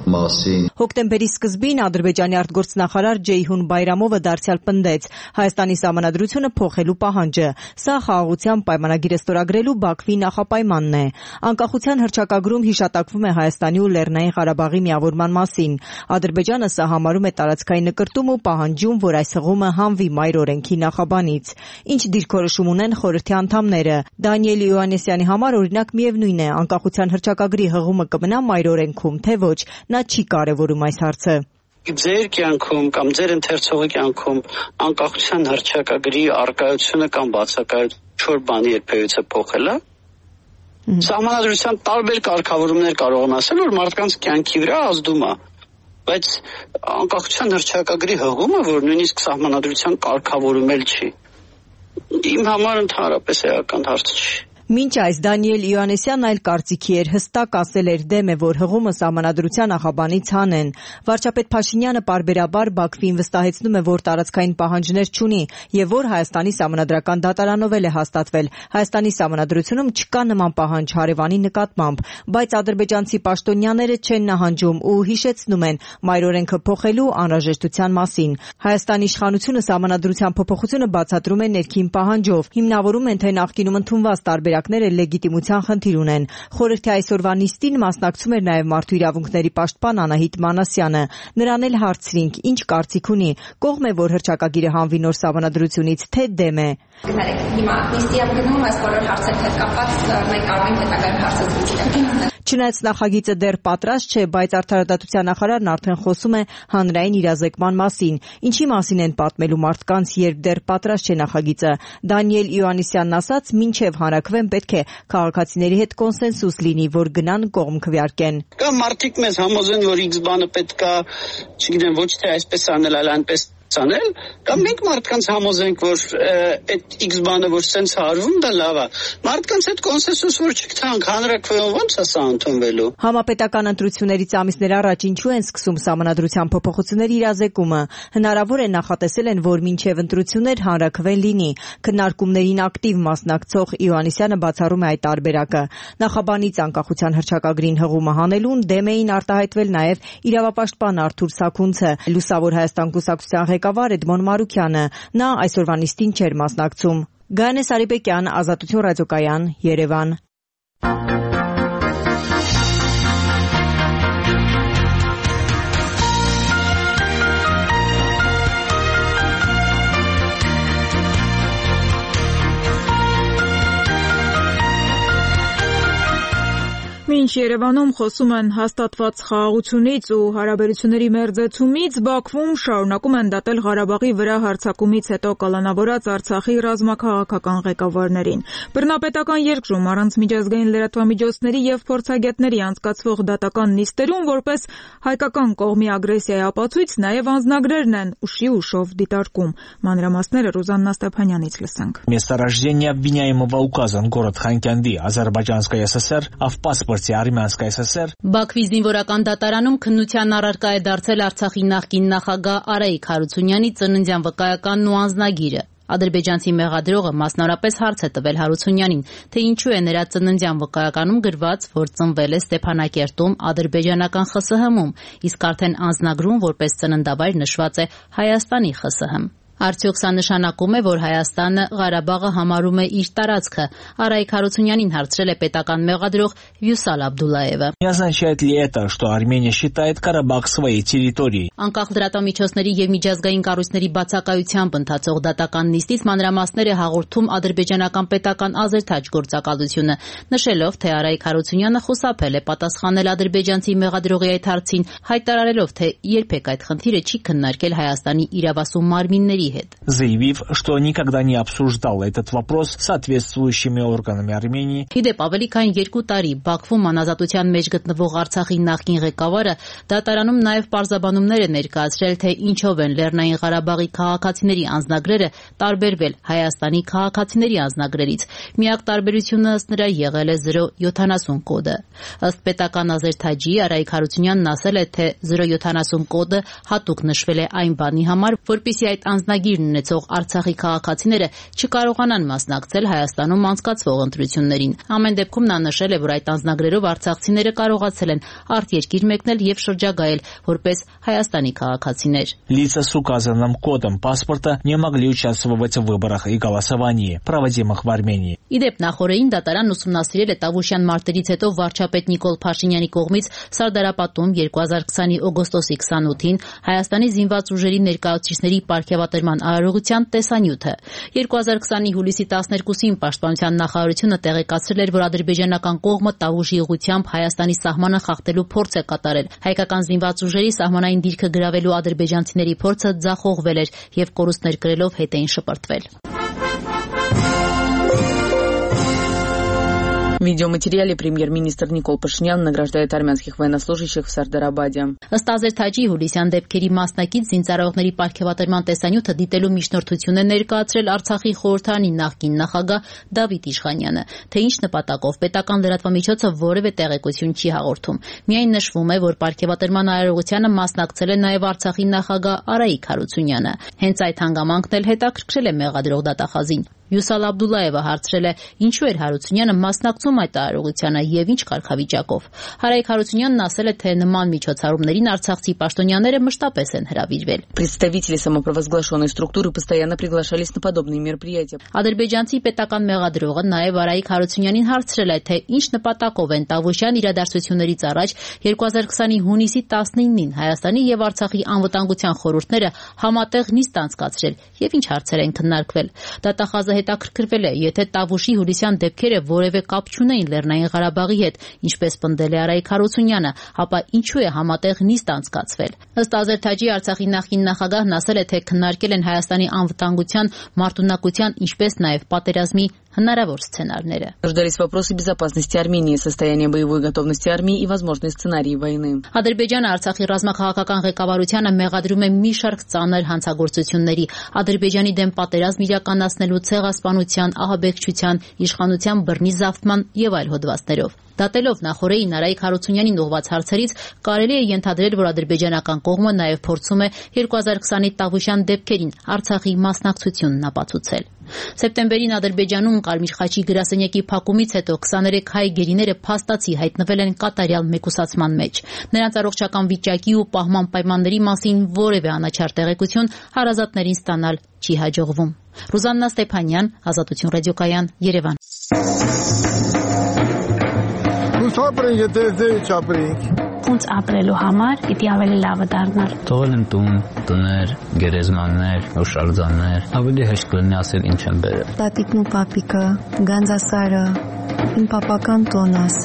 մասին։ Հոկտեմբերի սկզբին Ադրբեջանի արտգործնախարար Ջեյհուն Բայրամովը դարձյալ պնդեց Հայաստանի սահմանադրությունը փոխելու պահանջը։ Սա խաղաղության պայմանագիրը ստորագրելու Բաքվի նախապայմանն է։ Անկախության հռչակագրում հիշատակվում է Հայաստանի ու Լեռնային Ղարաբաղի միավորման մասին։ Ադրբեջանը սա համարում է տարածքային նկրտում ու պահանջում, որ այս հղումը հանվի մայրօրենքի նախաբանից։ Ինչ դիրքորոշում ունեն խորհրդի անդամները։ Դանիել Իոաննիսյանի համար օրինակ միևնույն է, անկախության հռչակագրի հղումը կմնա մայրօրենքում, թե ոչ, նա չի կարևորում այս հարցը։ Ձեր կյանքում կամ ձեր ընթերցողի կյանքում անկախության հռչակագրի առկայությունը կամ բացակայությունը բանի երբևիցե փոխել է։ Սահմանադրության տարբեր կարգավորումներ կարող են ասել, որ մարդկանց կյանքի վրա ազդում է, բայց անկախության հռչակագրի հղումը, որ նույնիսկ սահմանադրության կարգավորում էլ չի, իմ համար ընդհանրապես էական հարց չի։ Մինչ այս Դանիել Իոաննիսյանն այլ կարծիքի էր, հստակ ասել էր դեմ է, որ հղումը սահմանադրության նախաբանից հանեն։ Վարչապետ Փաշինյանը պարբերաբար Բաքվին վստահեցնում է, որ տարածքային պահանջներ չունի եւ որ Հայաստանի սահմանադրական դատարանով էլ է հաստատվել։ Հայաստանի սահմանադրությունում չկա նման պահանջ հարևանի նկատմամբ, բայց ադրբեջանցի պաշտոնյաները չեն նահանջում ու հիշեցնում են մայրօրենքը փոխելու անհրաժեշտության մասին։ Հայաստանի իշխանությունը սահմանադրության փոփոխությունը բացատրում է ներքին պահանջով, հիմնավորում են, թե նախկինում ընդունված տարբերակները լեգիտիմության խնդիր ունեն։ Խորհրդի այսօրվա նիստին մասնակցում էր նաև մարդու իրավունքների պաշտպան Անահիտ Մանասյանը։ Նրան էլ հարցրինք, ինչ կարծիք ունի, կողմ է, որ հռչակագիրը հանվի նոր սահմանադրությունից, թե դեմ է։ Հիմա նիստի ապգնում այս բոլոր հարցերով հետ կապված մենք կարող ենք հետագայում հարցազրույցներ։ Չնայած նախագիծը դեռ պատրաստ չէ, բայց Արդարադատության նախարարն արդեն խոսում է հանրային իրազեկման մասին։ Ինչի մասին են պատմելու մարդկանց, երբ դեռ պատրաստ չէ նախագիծը։ Դանիել Իոաննիսյանն ասաց, մինչև հանրաքվեն պետք է քաղաքացիների հետ կոնսենսուս լինի, որ գնան կողմ քվեարկեն։ Կամ մարդիկ մեզ համոզեն, որ X բանը պետք է, չգիտեմ, ոչ թե այսպես անել, այլ այնպես անել, կամ մենք մարդկանց համոզենք, որ այդ X բանը որ սենց հարվում, դա լավ է։ Մարդկանց հետ կոնսենսուս որ չգտանք, հանրաքվեում ո՞նց է սա ընդունվելու։ Համապետական ընտրություններից ամիսներ առաջ ինչու են սկսում սահմանադրության փոփոխությունների իրազեկումը։ Հնարավոր է նախատեսել են, որ մինչև ընտրություններ հանրաքվեն լինի։ Քննարկումներին ակտիվ մասնակցող Իոաննիսյանը բացառում է այդ տարբերակը։ Նախաբանից անկախության հռչակագրին հղումը հանելուն դեմ էին արտահայտվել նաև իրավապաշտպան Արթուր Սաքունցը, Լուսավոր Հայաստան կուսակցության ղեկավար Էդմոն Մարուքյանը։ Նա այսօրվա նիստին չէր մասնակցում։ Գանե Սարիբեկյան, Ազատություն ռադիոկայան, Երևան։ Մինչ Երևանում խոսում են հաստատված խաղաղությունից ու հարաբերությունների մերձեցումից, Բաքվում շարունակում են դատել Ղարաբաղի վրա հարձակումից հետո կալանավորած Արցախի ռազմաքաղաքական ղեկավարներին։ Բռնապետական երկրում առանց միջազգային լրատվամիջոցների եւ փորձագետների անցկացվող датական նիստերում որպես հայկական կողմի ագրեսիայի ապացույց նաեւ անձնագրերն են ուշի ուշով դիտարկում։ Մանրամասները Ռուզաննա Ստեփանյանից լսենք։ Месторождение обвиняемого указан город Ханкյանди, Азербайджанская ССР, а в паспорте Արմենская ՍՍՍР։ Բաքվի զինվորական դատարանում քննության առարկա է դարձել Արցախի նախկին նախագահ Արայիկ Հարությունյանի ծննդյան վկայականն ու անձնագիրը։ Ադրբեջանցի մեղադրողը մասնավորապես հարց է տվել Հարությունյանին, թե ինչու է նրա ծննդյան վկայականում գրված, որ ծնվել է Ստեփանակերտում ադրբեջանական ԽՍՀՄ-ում, իսկ արդեն անձնագրում որպես ծննդավայր նշված է Հայաստանի ԽՍՀՄ։ Արդյոք սա նշանակում է, որ Հայաստանը Ղարաբաղը համարում է իր տարածքը։ Արայիկ Հարությունյանին հարցրել է պետական մեղադրող Վյուսալ Աբդուլլաևը։ Не означает ли это, что Армения считает Карабах своей территорией? Անկախ լրատվամիջոցների եւ միջազգային կառույցների բացակայությամբ ընթացող դատական նիստից մանրամասներ է հաղորդում ադրբեջանական պետական ազերթաջ գործակալությունը, նշելով, թե Արայիկ Հարությունյանը խուսափել է պատասխանել ադրբեջանցի մեղադրողի այդ հարցին, հայտարարելով, թե երբեք այդ խնդիրը չի քննարկել Հայաստանի իրավասու մարմինների հետ, заявив, что никогда не обсуждал этот вопрос с соответствующими органами Армении. Իդեպ ավելի քան 2 տարի Բաքվում անազատության մեջ գտնվող Արցախի նախկին ղեկավարը դատարանում նաև պարզաբանումներ է ներկայացրել, թե ինչով են Լեռնային Ղարաբաղի քաղաքացիների անձնագրերը տարբերվել Հայաստանի քաղաքացիների անձնագրերից։ Միակ տարբերությունը ըստ նրա եղել է 070 կոդը։ Ըստ պետական ազերթաջի Արայիկ Հարությունյանն ասել է, թե 070 կոդը հատուկ նշվել է այն բանի համար, որպեսզի այդ անձնագիրն ունեցող Արցախի քաղաքացիները չկարողանան մասնակցել Հայաստանում անցկացվող ընտրություններին։ Ամեն դեպքում նա նշել է, որ այդ անձնագրերով արցախցիները կարողացել են արտերկիր մեկնել եւ շրջագայել որպես Հայաստանի քաղաքացիներ։ Лица с указанным кодом паспорта не могли участвовать в выборах и голосовании, проводимых в Армении. Իդեպ նախորդին դատարանն ուսումնասիրել է Տավուշյան մարտերից հետո վարչապետ Նիկոլ Փաշինյանի կողմից Սարդարապատում 2020-ի օգոստոսի 28-ին Հայաստանի զինված ուժերի ներկայացուցիչների պարգևատրման արարողության տեսանյութը։ 2020-ի հուլիսի 12-ին Պաշտպանության նախարարությունը տեղեկացրել էր, որ ադրբեջանական կողմը Տավուշի ուղղությամբ Հայաստանի սահմանը խախտելու փորձ է կատարել։ Հայկական զինված ուժերի սահմանային դիրքը գրավելու ադրբեջանցիների փորձը ձախողվել էր եւ կորուստներ կրելով հետ էին շպրտվել։ В видеоматериале премьер-министр Никол Пашинян награждает армянских военнослужащих в Сардарабаде. Ըստ ազերթաջի հուլիսյան դեպքերի մասնակից զինծառայողների պարգևատրման տեսանյութը դիտելու միջնորդություն է ներկայացրել Արցախի խորհրդարանի նախկին նախագահ Դավիթ Իշխանյանը, թե ինչ նպատակով պետական լրատվամիջոցը որևէ տեղեկություն չի հաղորդում։ Միայն նշվում է, որ պարգևատրման արարողությանը մասնակցել է նաև Արցախի նախագահ Արայիկ Հարությունյանը։ Հենց այդ հանգամանքն էլ հետաքրքրել է մեղադրող դատախազին։ Վյուսալ Աբդուլլաևը հարցրել է, ինչու էր Հարությունյանը մասնակցում այդ արարողությանը եւ ինչ կարգավիճակով։ Արայիկ Հարությունյանն ասել է, թե նման միջոցառումներին արցախցի պաշտոնյաները մշտապես են հրավիրվել։ Представители самопровозглашенной структуры постоянно приглашались на подобные мероприятия. Ադրբեջանցի պետական մեղադրողը նաև Արայիկ Հարությունյանին հարցրել է, թե ինչ նպատակով են Տավուշյան իրադարձություններից առաջ 2020-ի հունիսի 19-ին Հայաստանի եւ Արցախի անվտանգության խորհուրդները համատեղ նիստ անցկացրել եւ ինչ հարցեր են քննարկվել։ Դատախազը հետաքրքրվել է, եթե Տավուշի հուլիսյան դեպքերը որևէ կապ չունեին Լեռնային Ղարաբաղի հետ, ինչպես պնդել է Արայիկ Հարությունյանը, ապա ինչու է համատեղ նիստ անցկացվել։ Ըստ ազերթաջի Արցախի նախկին նախագահն ասել է, թե քննարկել են Հայաստանի անվտանգության, մարտունակության, ինչպես նաև պատերազմի հնարավոր սցենարները։ Обсуждались вопросы безопасности Армении, состояние боевой готовности армии и возможные сценарии войны. Ադրբեջանը Արցախի ռազմաքաղաքական ղեկավարությանը մեղադրում է մի շարք ծանր հանցագործությունների, Ադրբեջանի դեմ պատերազմ իրականացնելու ցեղասպանության, ահաբեկչության, իշխանության բռնի զավթման եւ այլ հոդվածներով։ Դատելով նախորդին Արայիկ Հարությունյանին ուղղված հարցերից, կարելի է ենթադրել, որ ադրբեջանական կողմը նաև փորձում է 2020-ի Տավուշյան դեպքերին Արցախի մասնակցությունն ապացուցել։ Սեպտեմբերին Ադրբեջանում Կարմիր խաչի գրասենյակի փակումից հետո 23 հայ գերիները փաստացի հայտնվել են կատարյալ մեկուսացման մեջ։ Նրանց առողջական վիճակի ու պահման պայմանների մասին որևէ անաչառ տեղեկություն հարազատներին ստանալ չի հաջողվում։ Ռուզաննա Ստեփանյան, Ազատություն ռադիոկայան, Երևան։ Ապրենք, եթե չապրենք։ Ոնց ապրելու համար պիտի ավելի լավը դառնար։ Թողել եմ տուն, տներ, գերեզմաններ, հուշարձաններ։ Ավելի հեշտ կլինի ասել ինչ եմ բերել։ Տատիկն ու պապիկը, Գանձասարը, իմ պապական տոնս։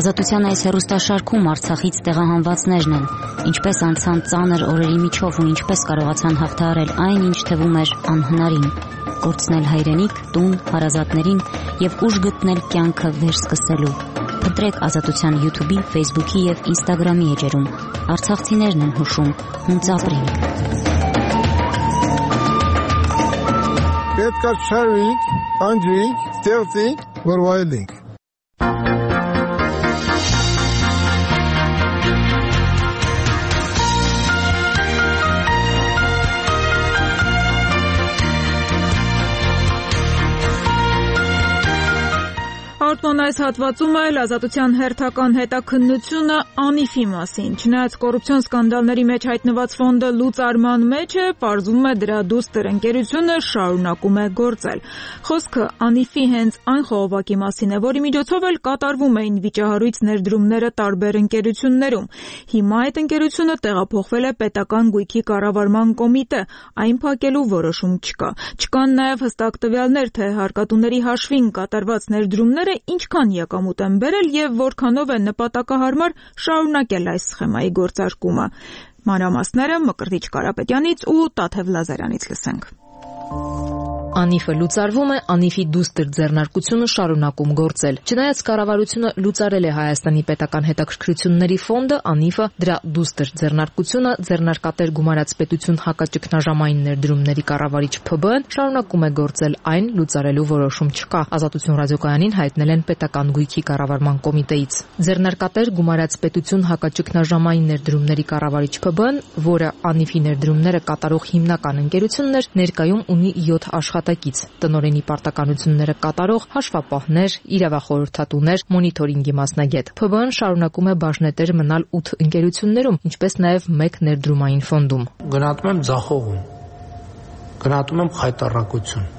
Ազատության այս հեռուստաշարքում Արցախից տեղահանվածներն են, ինչպես անցան ծանր օրերի միջով ու ինչպես կարողացան հաղթահարել այն, ինչ թվում էր անհնարին, կորցնել հայրենիք, տուն, հարազատներին եւ ուժ գտնել կյանքը վերսկսելու։ Փնտրեք Ազատության YouTube-ի, Facebook-ի եւ Instagram-ի էջերում։ Արցախցիներն են հուշում, հունց ապրենք։ Պետք է շարվենք, անջրենք, ստեղծենք, որ վայելենք։ Պատմոն այս հատվածում էլ ազատության հերթական հետաքննությունը Անիֆի մասին։ Չնայած կոռուպցիոն սկանդալների մեջ հայտնված ֆոնդը լուծարման մեջ է, պարզվում է դրա դուստր ընկերությունը շարունակում է գործել։ Խոսքը Անիֆի հենց այն խողովակի մասին է, որի միջոցով էլ կատարվում էին վիճահարույց ներդրումները տարբեր ընկերություններում։ Հիմա այդ ընկերությունը տեղափոխվել է պետական գույքի կառավարման կոմիտե, այն փակելու որոշում չկա։ Չկան նաև հստակ տվյալներ, թե հարկատուների հաշվին կատարված ներդրումները ինչքան եկամուտ են բերել եւ որքանով է նպատակահարմար շարունակել այս սխեմայի գործարկումը։ Մանրամասները Մկրտիչ Կարապետյանից ու Տաթև Լազարյանից լսենք։ Անիֆը լուծարվում է, Անիֆի դուստր ձեռնարկությունը շարունակում գործել։ Չնայած կառավարությունը լուծարել է Հայաստանի պետական հետաքրքրությունների ֆոնդը, Անիֆը դրա դուստր ձեռնարկությունը ձեռնարկատեր գումարած պետություն հակաճգնաժամային ներդրումների կառավարիչ ՓԲ-ն շարունակում է գործել, այն լուծարելու որոշում չկա։ Ազատություն ռադիոկայանին հայտնել են պետական գույքի կառավարման կոմիտեից։ Ձեռնարկատեր գումարած պետություն հակաճգնաժամային ներդրումների կառավարիչ ՓԲ-ն, որը Անիֆի ներդրումները կատարող հիմնական ընկերությունն էր, ներկայում ունի 7 աշխատակից, տնօրենի պարտականությունները կատարող հաշվապահներ, իրավախորհրդատուներ, մոնիթորինգի մասնագետ։ ՓԲ-ն շարունակում է բաժնետեր մնալ 8 ընկերություններում, ինչպես նաև 1 ներդրումային ֆոնդում։ Գնահատում եմ ձախողում, գնահատում եմ խայտառակություն,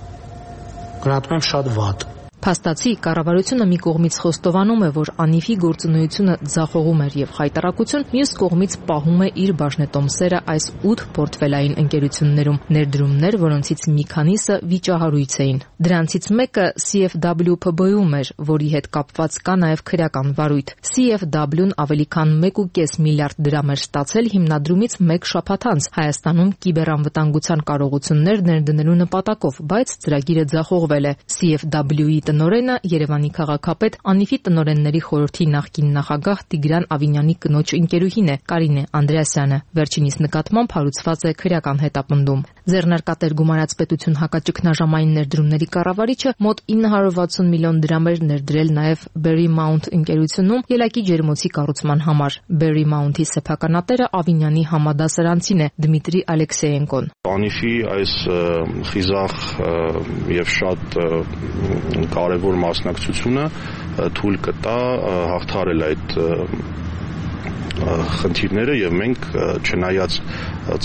գնահատում եմ շատ վատ։ Փաստացի կառավարությունը մի կողմից խոստովանում է, որ Անիֆի գործունեությունը ձախողում էր եւ խայտառակություն, մյուս կողմից պահում է իր բաժնետոմսերը այս 8 պորտֆելային ընկերություններում, ներդրումներ, որոնցից մի քանիսը վիճահարույց էին։ Դրանցից մեկը CFW ՓԲ-ում էր, որի հետ կապված կա նաեւ քրեական վարույթ։ CFW-ն ավելի քան 1.5 միլիարդ դրամ էր ստացել հիմնադրումից 1 շաբաթ անց Հայաստանում կիբերանվտանգության կարողություններ ներդնելու նպատակով, բայց ծրագիրը ձախողվել է։ CFW-ի տնօրենը Երևանի քաղաքապետ Անիֆի տնօրենների խորհրդի նախկին նախագահ Տիգրան Ավինյանի կնոջ ընկերուհին է Կարինե Անդրեասյանը։ Վերջինիս նկատմամբ հարուցված է քրեական հետապնդում։ Ձեռնարկատեր գումարած պետություն հակաճգնաժամային ներդրումների կառավարիչը մոտ 960 միլիոն դրամ էր ներդրել նաև Berry Mount ընկերությունում ելակի ջերմոցի կառուցման համար։ Berry Mount-ի սեփականատերը Ավինյանի համադասարանցին է Դմիտրի Ալեքսեյենկոն։ Անիֆի այս խիզախ եւ շատ կարևոր մասնակցությունը թույլ կտա հաղթահարել այդ խնդիրները եւ մենք չնայած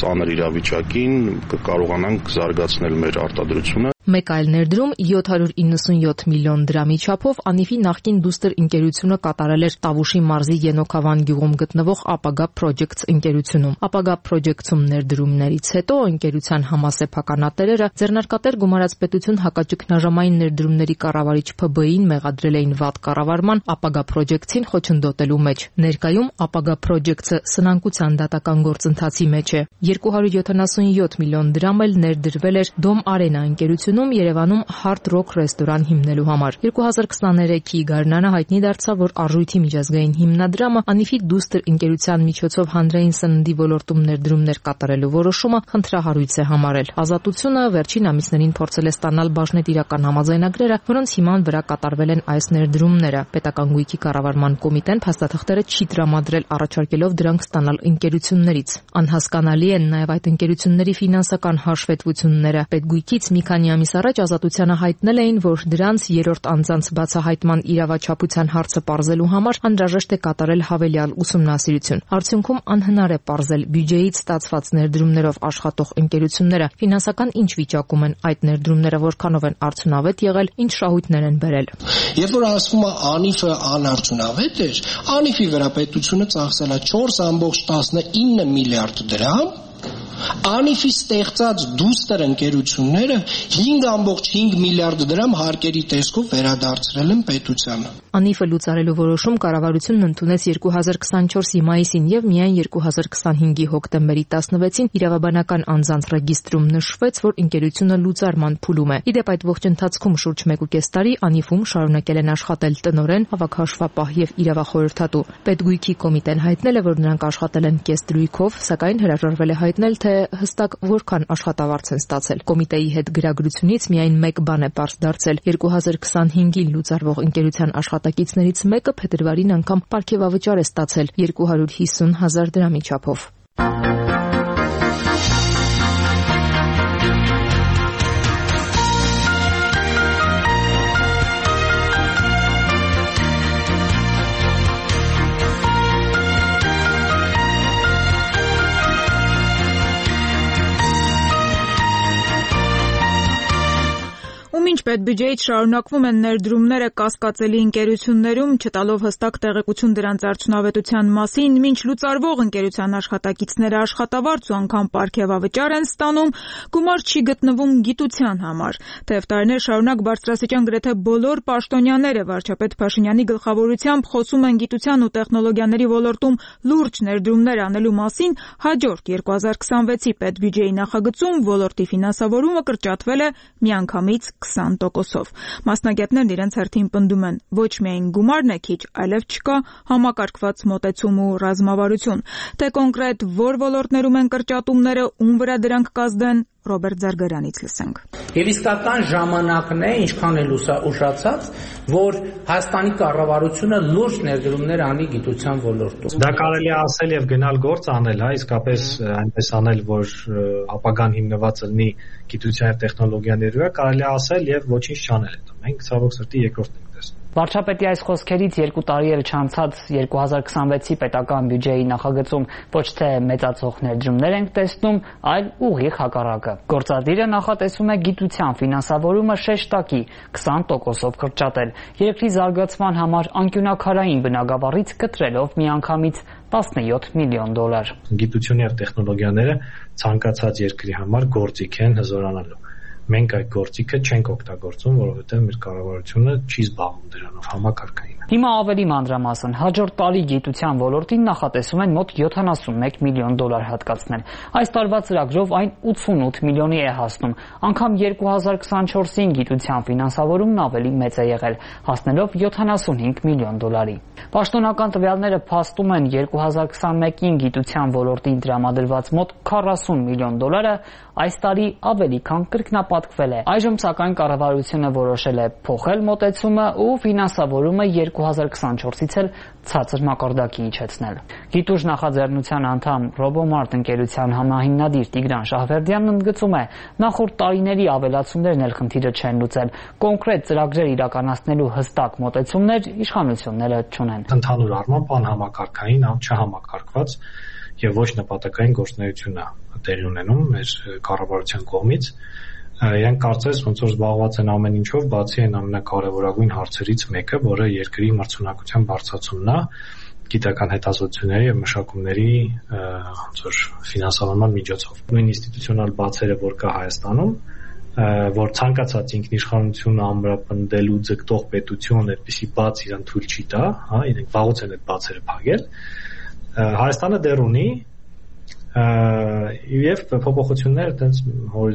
ծանր իրավիճակին կկարողանանք զարգացնել մեր արտադրությունը։ Մեկ այլ ներդրում 797 միլիոն դրամի չափով Անիֆի նախկին դուստր ընկերությունը կատարել էր Տավուշի մարզի Ենոքավան գյուղում գտնվող Ապագա Projects ընկերությունում։ Ապագա Projects-ում ներդրումներից հետո ընկերության համասեփականատերերը ձեռնարկատեր գումարած պետություն հակաճգնաժամային ներդրումների կառավարիչ ՓԲ-ին մեղադրել էին վատ կառավարման Ապագա Projects-ին խոչընդոտելու մեջ։ Ներկայում Ապագա Projects-ը սնանկության դատական գործընթացի մեջ է։ 277 միլիոն դրամ էլ ներդրվել էր Dom Arena ընկերությունում Երևանում Hard Rock ռեստորան հիմնելու համար։ 2023-ի գարնանը հայտնի դարձավ, որ Արժույթի միջազգային հիմնադրամը Անիֆի դուստր ընկերության միջոցով հանրային սննդի ոլորտում ներդրումներ կատարելու որոշումը խնդրահարույց է համարել։ Ազատությունը վերջին ամիսներին փորձել է ստանալ բաժնետիրական համաձայնագրերը, որոնց հիման վրա կատարվել են այս ներդրումները։ Պետական գույքի կառավարման կոմիտեն փաստաթղթերը չի տրամադրել, առաջարկելով դրանք ստանալ ընկերություններից։ Անհասկանալի են նաև այդ ընկերությունների ֆինանսական հաշվետվությունները։ Պետգույքից մի քանի ամիս առաջ Ազատությանը հայտնել էին, որ դրանց երրորդ անձանց բացահայտման իրավաչափության հարցը պարզելու համար անհրաժեշտ է կատարել հավելյալ ուսումնասիրություն։ Արդյունքում անհնար է պարզել բյուջեից ստացված ներդրումներով աշխատող ընկերությունները ֆինանսական ինչ վիճակում են, այդ ներդրումները որքանով են արդյունավետ եղել, ինչ շահույթներ են բերել։ Երբ որ ասվում է Անիֆը անարդյունավետ էր, Անիֆի վրա պետությունը ծախսել է 4.19 միլիարդ դրամ, Անիֆի ստեղծած դուստր ընկերությունները 5.5 միլիարդ դրամ հարկերի տեսքով վերադարձրել են պետությանը։ Անիֆը լուծարելու որոշում կառավարությունն ընդունեց 2024-ի մայիսին եւ միայն 2025-ի հոկտեմբերի 16-ին իրավաբանական անձանց ռեգիստրում նշվեց, որ ընկերությունը լուծարման փուլում է։ Իդեպ այդ ողջ ընթացքում շուրջ 1.5 տարի Անիֆում շարունակել են աշխատել տնօրեն, հավաքահաշվապահ եւ իրավախորհրդատու։ Պետգույքի կոմիտեն հայտնել է, որ նրանք աշխատել են կես դրույքով, սակայն հրաժարվել է հայտնել, թե հստակ որքան աշխատավարձ են ստացել։ Կոմիտեի հետ գրագրությունից միայն մեկ բան է պարզ դարձել։ 2025-ին լուծարվող ընկերության աշխատակիցներից մեկը փետրվարին անգամ պարգևավճար է ստացել 250,000 դրամի չափով։ Մինչ պետբյուջեից շարունակվում են ներդրումները կասկածելի ընկերություններում, չտալով հստակ տեղեկություն դրանց արդյունավետության մասին, մինչ լուծարվող ընկերության աշխատակիցները աշխատավարձ ու անգամ պարգևավճար են ստանում, գումար չի գտնվում գիտության համար։ Թեև տարիներ շարունակ բարձրաստիճան գրեթե բոլոր պաշտոնյաները վարչապետ Փաշինյանի գլխավորությամբ խոսում են գիտության ու տեխնոլոգիաների ոլորտում լուրջ ներդրումներ անելու մասին, հաջորդ 2026-ի պետբյուջեի նախագծում ոլորտի ֆինանսավորումը կրճատվել է միանգամից 20%-ով։ Մասնագետներն իրենց հերթին պնդում են, ոչ միայն գումարն է քիչ, այլև չկա համակարգված մոտեցում ու ռազմավարություն։ Թե կոնկրետ որ ոլորտներում են կրճատումները, ում վրա դրանք կազդեն, Ռոբերտ Զարգարյանից լսենք։ Եվ իսկական ժամանակն է, ինչքան էլ ուշացած, որ Հայաստանի կառավարությունը լուրջ ներդրումներ անի գիտության ոլորտում։ Դա կարելի է ասել եւ գնալ գործ անել, իսկապես այնպես անել, որ ապագան հիմնված լինի գիտության եւ տեխնոլոգիաների վրա, կարելի է ասել եւ ոչինչ չանել հետո։ Մենք ցավոք սրտի երկրորդն ենք տեսնում։ Վարչապետի այս խոսքերից 2 տարի էլ չանցած 2026-ի պետական բյուջեի նախագծում ոչ թե մեծացող ներդրումներ ենք տեսնում, այլ ուղիղ հակառակը։ Գործադիրը նախատեսում է գիտության ֆինանսավորումը շեշտակի 20%-ով կրճատել, երկրի զարգացման համար անկյունաքարային բնագավառից կտրելով միանգամից $17 միլիոն։ Գիտությունը եւ տեխնոլոգիաները ցանկացած երկրի համար գործիք են հզորանալու։ Մենք այդ գործիքը չենք օգտագործում, որովհետև մեր կառավարությունը չի զբաղվում դրանով համակարգային։ Հիմա ավելի մանրամասն հաջորդ տարի գիտության ոլորտին նախատեսում են մոտ $71 միլիոն հատկացնել։ Այս տարվա ծրագրով այն 88 միլիոնի է հասնում, անգամ 2024-ին գիտության ֆինանսավորումն ավելի մեծ է եղել, հասնելով $75 միլիոն։ Պաշտոնական տվյալները փաստում են 2021-ին գիտության ոլորտին տրամադրված մոտ $40 միլիոն այս տարի ավելի քան կրկնապատկվել է։ Այժմ սակայն կառավարությունը որոշել է փոխել մոտեցումը ու ֆինանսավորումը 2024-ից էլ ցածր մակարդակի իջեցնել։ Գիտուժ նախաձեռնության անդամ Ռոբոմարտ ընկերության համահիմնադիր Տիգրան Շահվերդյանն ընդգծում է, նախորդ տարիների ավելացումներն էլ խնդիրը չեն լուծել, կոնկրետ ծրագրեր իրականացնելու հստակ մոտեցումներ իշխանությունները չունեն։ Ընդհանուր առմամբ անհամակարգային, չհամակարգված եւ ոչ նպատակային գործունեություն է տեղի ունենում մեր կառավարության կողմից։ Իրենք կարծես ոնց որ զբաղված են ամեն ինչով, բացի այն ամենակարևորագույն հարցերից մեկը, որը երկրի մրցունակության բարձրացումն է, գիտական հետազոտությունների եւ մշակումների ոնց որ ֆինանսավորման միջոցով։ Նույն ինստիտուցիոնալ բացերը, որ կա Հայաստանում, որ ցանկացած ինքնիշխանություն ամրապնդելու ձգտող պետություն այդպիսի բաց իրան թույլ չի տա, իրենք վաղուց են այդ բացերը փակել։ Հայաստանը դեռ ունի եւ փոփոխությունները այդպես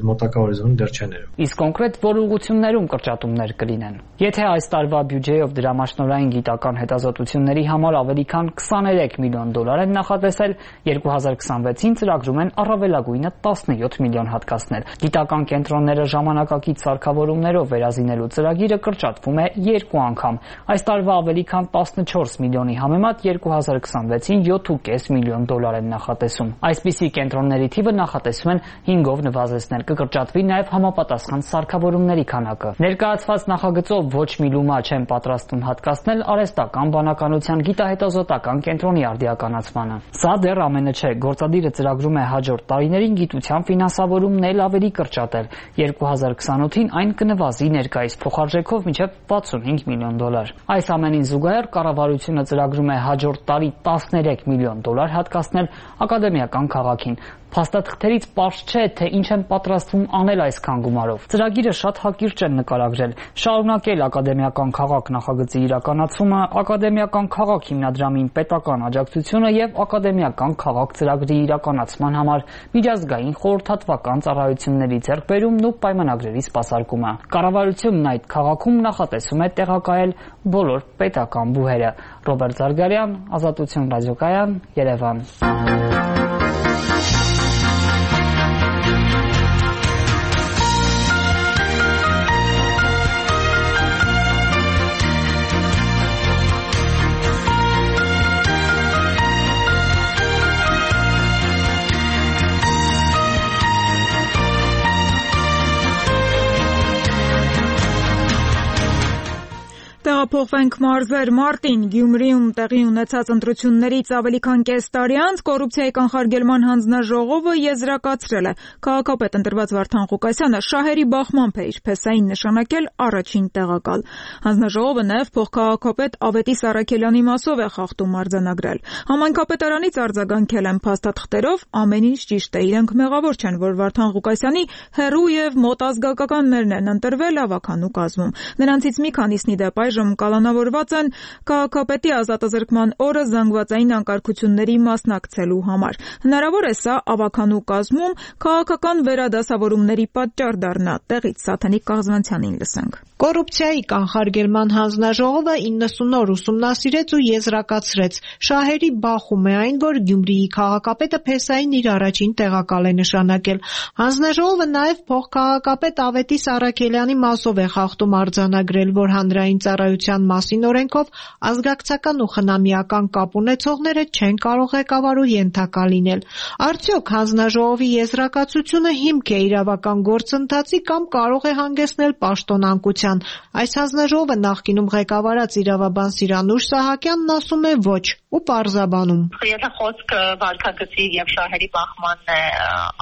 մոտակա հորիզոնում դեռ չեն երևում։ Իսկ կոնկրետ որ ուղղություններում կրճատումներ կլինեն։ Եթե այս տարվա բյուջեով դրամաշնորհային գիտական հետազոտությունների համար ավելի քան $23 միլիոն են նախատեսել, 2026-ին ծրագրում են առավելագույնը $17 միլիոն հատկացնել։ Գիտական կենտրոնները ժամանակակից սարքավորումներով վերազինելու ծրագիրը կրճատվում է 2 անգամ։ Այս տարվա ավելի քան $14 միլիոնի համեմատ 2026-ին $7.5 միլիոն են նախատեսում։ Այսպիսի կենտրոնների թիվը նախատեսում են 5-ով նվազեցնել, կկրճատվի նաև համապատասխան սարքավորումների քանակը։ Ներկայացված նախագծով ոչ մի լումա չեն պատրաստում հատկացնել արհեստական բանականության գիտահետազոտական կենտրոնի արդիականացմանը։ Սա դեռ ամենը չէ, գործադիրը ծրագրում է հաջորդ տարիներին գիտության ֆինանսավորումն էլ ավելի կրճատել։ 2028-ին այն կնվազի ներկայիս փոխարժեքով մինչև $65 միլիոն։ Այս ամենին զուգահեռ կառավարությունը ծրագրում է հաջորդ տարի $13 միլիոն հատկացնել ակադեմիական քաղաքին։ Փաստաթղթերից պարզ չէ, թե ինչ են պատրաստվում անել այսքան գումարով։ Ծրագիրը շատ հակիրճ են նկարագրել, շարունակել ակադեմիական քաղաք նախագծի իրականացումը, ակադեմիական քաղաք հիմնադրամին պետական աջակցությունը եւ ակադեմիական քաղաք ծրագրի իրականացման համար միջազգային խորհրդատվական ծառայությունների ձեռքբերումն ու պայմանագրերի սպասարկումը։ Կառավարությունն այդ քաղաքում նախատեսում է տեղակայել բոլոր պետական բուհերը։ Ռոբերտ Զարգարյան, Ազատություն ռադիոկայան, Երևան։ Տեղափոխվենք մարզեր մարտին։ Գյումրիում տեղի ունեցած ընտրություններից ավելի քան կես տարի անց կոռուպցիայի կանխարգելման հանձնաժողովը եզրակացրել է քաղաքապետ ընտրված Վարդան Ղուկասյանը շահերի բախմամբ է իր փեսային նշանակել առաջին տեղակալ։ Հանձնաժողովը նաև փոխքաղաքապետ Ավետիս Առաքելյանի մասով է խախտում արձանագրել։ Համայնքապետարանից արձագանքել են փաստաթղթերով, ամեն ինչ ճիշտ է, իրենք մեղավոր չեն, որ Վարդան Ղուկասյանի հեռու եւ մոտ ազգականներն են ընտրվել ավականու կազմում։ Նրանցից մի քանիսնի դեպ այժմ կալանավորված են քաղաքապետի ազատազրկման օրը զանգվածային անկարգությունների մասնակցելու համար։ Հնարավոր է սա ավականու կազմում քաղաքական վերադասավորումների պատճառ դառնա։ Տեղից Սաթենիկ Կաղզվանցյանին լսենք։ Կոռուպցիայի կանխարգելման հանձնաժողովը 90 օր ուսումնասիրեց ու եզրակացրեց. շահերի բախում է այն, որ Գյումրիի քաղաքապետը փեսային իր առաջին տեղակալ է նշանակել։ Հանձնաժողովը նաև փոխքաղաքապետ Ավետիս Առաքելյանի մասով է խախտում արձանագրել, որ հանրային ծառայության մասին օրենքով ազգակցական ու խնամիական կապ ունեցողները չեն կարող ղեկավարու ենթակա լինել։ Արդյոք հանձնաժողովի եզրակացությունը հիմք է իրավական գործընթացի կամ կարող է հանգեցնել պաշտոնանկության։ Այս հանձնաժողովը նախկինում ղեկավարած իրավաբան Սիրանուշ Սահակյանն ասում է ոչ ու պարզաբանում։ Եթե խոսքը վարքագծի եւ շահերի բախմանն է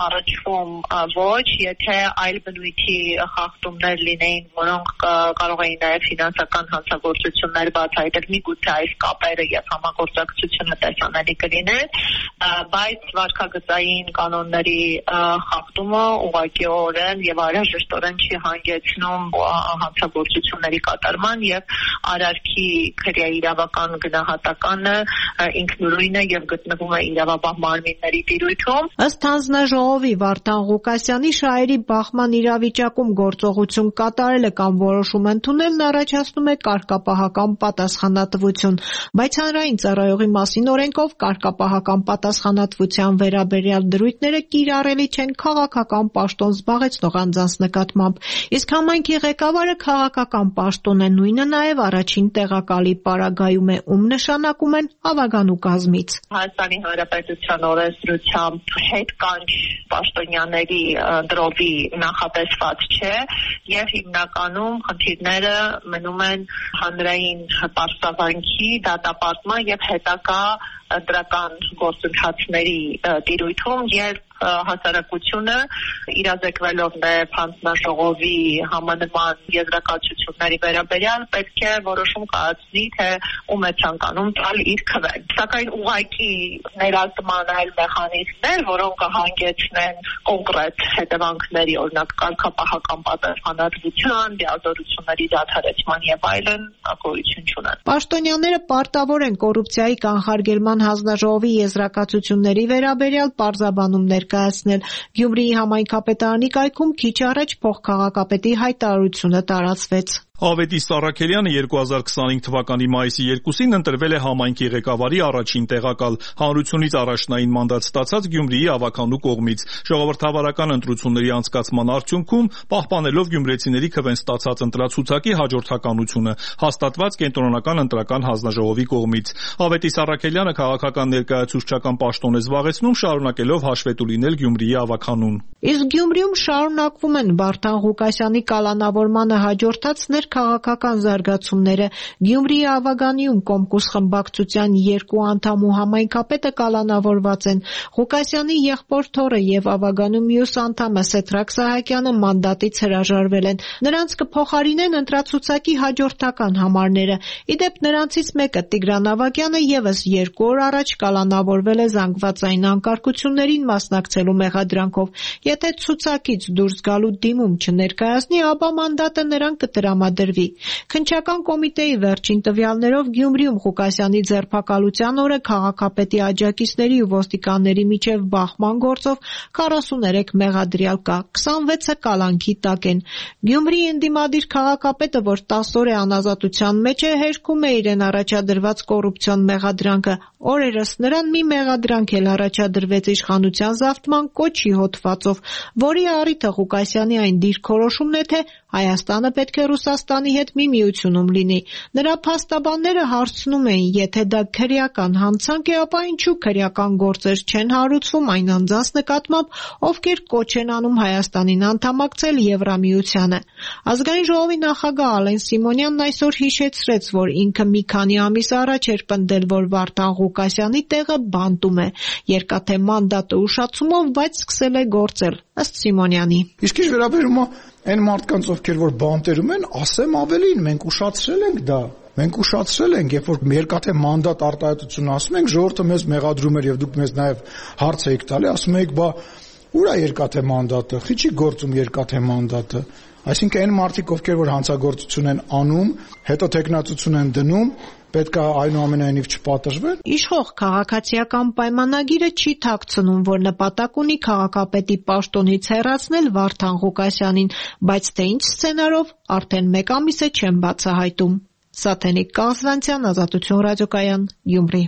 առաջվում, ոչ, եթե այլ բնույթի խախտումներ լինեին, որոնք կարող էին նաև ֆինանսական հանցագործություններ բացահայտել, միգուցե այս կապերը եւ համագործակցությունը տեսանելի կլիներ, բայց վարքագծային կանոնների խախտումը ուղղակիորեն եւ անհրաժեշտորեն չի հանգեցնում հանցագործությունների կատարման եւ արարքի քրեաիրավական գնահատականը ինքնուրույն է եւ գտնվում է իրավաբան մարմինների տիրույթում։ Ըստ հանձնաժողովի Վարդան Ղուկասյանի շահերի բախման իրավիճակում գործողություն կատարելը կամ որոշում ընդունելն առաջացնում է կարգապահական պատասխանատվություն, բայց հանրային ծառայողի մասին օրենքով կարգապահական պատասխանատվության վերաբերյալ դրույթները կիրառելի չեն քաղաքական պաշտոն զբաղեցնող անձանց նկատմամբ, իսկ համայնքի ղեկավարը քաղաքական պաշտոն է, նույնը նաև առաջին տեղակալի պարագայում է, ում նշանակում են ավականու կազմից։ Հայաստանի Հանրապետության օրենսդրությամբ հետ կանչ պաշտոնյաների դրովի նախատեսված չէ եւ հիմնականում խնդիրները մնում են հանրային պարսավանքի, դատապարտման եւ հետագա դրական գործընթացների տիրույթում եւ հասարակությունը իրազեկվելով նաև հանձնաժողովի համանման եզրակացությունների վերաբերյալ պետք է որոշում կայացնի, թե ում է ցանկանում տալ իր քվեն։ Սակայն ուղղակի ներառման այլ մեխանիզմներ, որոնք կհանգեցնեն կոնկրետ հետևանքների, օրինակ կարգապահական պատասխանատվության, դիազորությունների դադարեցման եւ այլն, գոյություն չունեն։ Պաշտոնյաները պարտավոր են կոռուպցիայի կանխարգելման հանձնաժողովի եզրակացությունների վերաբերյալ պարզաբանումներ կայացնել։ Գյումրիի համայնքապետարանի կայքում քիչ առաջ փոխքաղաքապետի հայտարարությունը տարածվեց։ Ավետիս Առաքելյանը 2025 թվականի մայիսի 2-ին ընտրվել է համայնքի ղեկավարի առաջին տեղակալ, հանրությունից առաջնային մանդատ ստացած Գյումրիի ավականու կողմից։ Ժողովրդավարական ընտրությունների անցկացման արդյունքում, պահպանելով գյումրեցիների քվեն ստացած ընտրացուցակի հաջորդականությունը, հաստատված կենտրոնական ընտրական հանձնաժողովի կողմից։ Ավետիս Առաքելյանը քաղաքական ներկայացուցչական պաշտոն է զբաղեցնում, շարունակելով հաշվետու լինել Գյումրիի ավականուն։ Իսկ Գյումրիում շարունակվում են Վարդան Ղուկասյանի կալանավորմանը հաջորդած քաղաքական զարգացումները։ Գյումրիի ավագանիում Կոմկուս խմբակցության 2 անդամ ու համայնքապետը կալանավորված են։ Ղուկասյանի եղբոր թոռը եւ ավագանու մյուս անդամը Սեդրակ Սահակյանը մանդատից հրաժարվել են։ Նրանց կփոխարինեն ընտրացուցակի հաջորդական համարները։ Իդեպ նրանցից մեկը Տիգրան Ավագյանը եւս 2 օր առաջ կալանավորվել է զանգվածային անկարգություններին մասնակցելու մեղադրանքով։ Եթե ցուցակից դուրս գալու դիմում չներկայացնի, ապա մանդատը նրան կտրամադրվի։ Քննչական կոմիտեի վերջին տվյալներով Գյումրիում Ղուկասյանի ձերբակալության օրը քաղաքապետի աջակիցների ու ոստիկանների միջև բախման գործով 43 մեղադրյալ կա, 26-ը կալանքի տակ են։ Գյումրիի ընդդիմադիր քաղաքապետը, որ 10 օր է անազատության մեջ է, հերքում է իրեն առաջադրված կոռուպցիոն մեղադրանքը։ Օրերս նրան մի մեղադրանք էլ առաջադրվեց իշխանության զավթման կոչի հոդվածով, որի առիթը Ղուկասյանի այն դիրքորոշումն է, թե Հայաստանը պետք է Ռուսաստանի հետ մի միությունում լինի։ Նրա փաստաբանները հարցնում էին, եթե դա քրեական հանցանք է, ապա ինչու քրեական գործեր չեն հարուցվում այն անձանց նկատմամբ, ովքեր կոչ են անում Հայաստանին անդամակցել Եվրամիությանը։ Ազգային ժողովի նախագահ Ալեն Սիմոնյանն այսօր հիշեցրեց, որ ինքը մի քանի ամիս առաջ էր պնդել, որ Վարդան Ղուկասյանի տեղը բանտում է, երկաթե մանդատը ուշացումով, բայց սկսել է գործել, ըստ Սիմոնյանի։ Իսկ ինչ վերաբերում է այն մարդկանց, ովքեր որ բանտերում են, ասեմ ավելին, մենք ուշացրել ենք դա։ Մենք ուշացրել ենք, երբ որ երկաթե մանդատ արտահայտություն ասում ենք, ժողովուրդը մեզ մեղադրում էր եւ դուք մեզ նաեւ հարց եք տալի, ասում եք, բա ուր է երկաթե մանդատը, խի չի գործում երկաթե մանդատը։ Այսինքն այն մարդիկ, ովքեր որ հանցագործություն են անում, հետո տեխնացություն են դնում, պետք է այնուամենայնիվ չպատժվեն։ Իշխող քաղաքացիական պայմանագիրը չի թաքցնում, որ նպատակ ունի քաղաքապետի պաշտոնից հեռացնել Վարդան Ղուկասյանին, բայց թե ինչ սցենարով, արդեն 1 ամիս է չեն բացահայտում։ Սաթենիկ Կազվանցյան, Ազատություն ռադիոկայան, Գյումրի։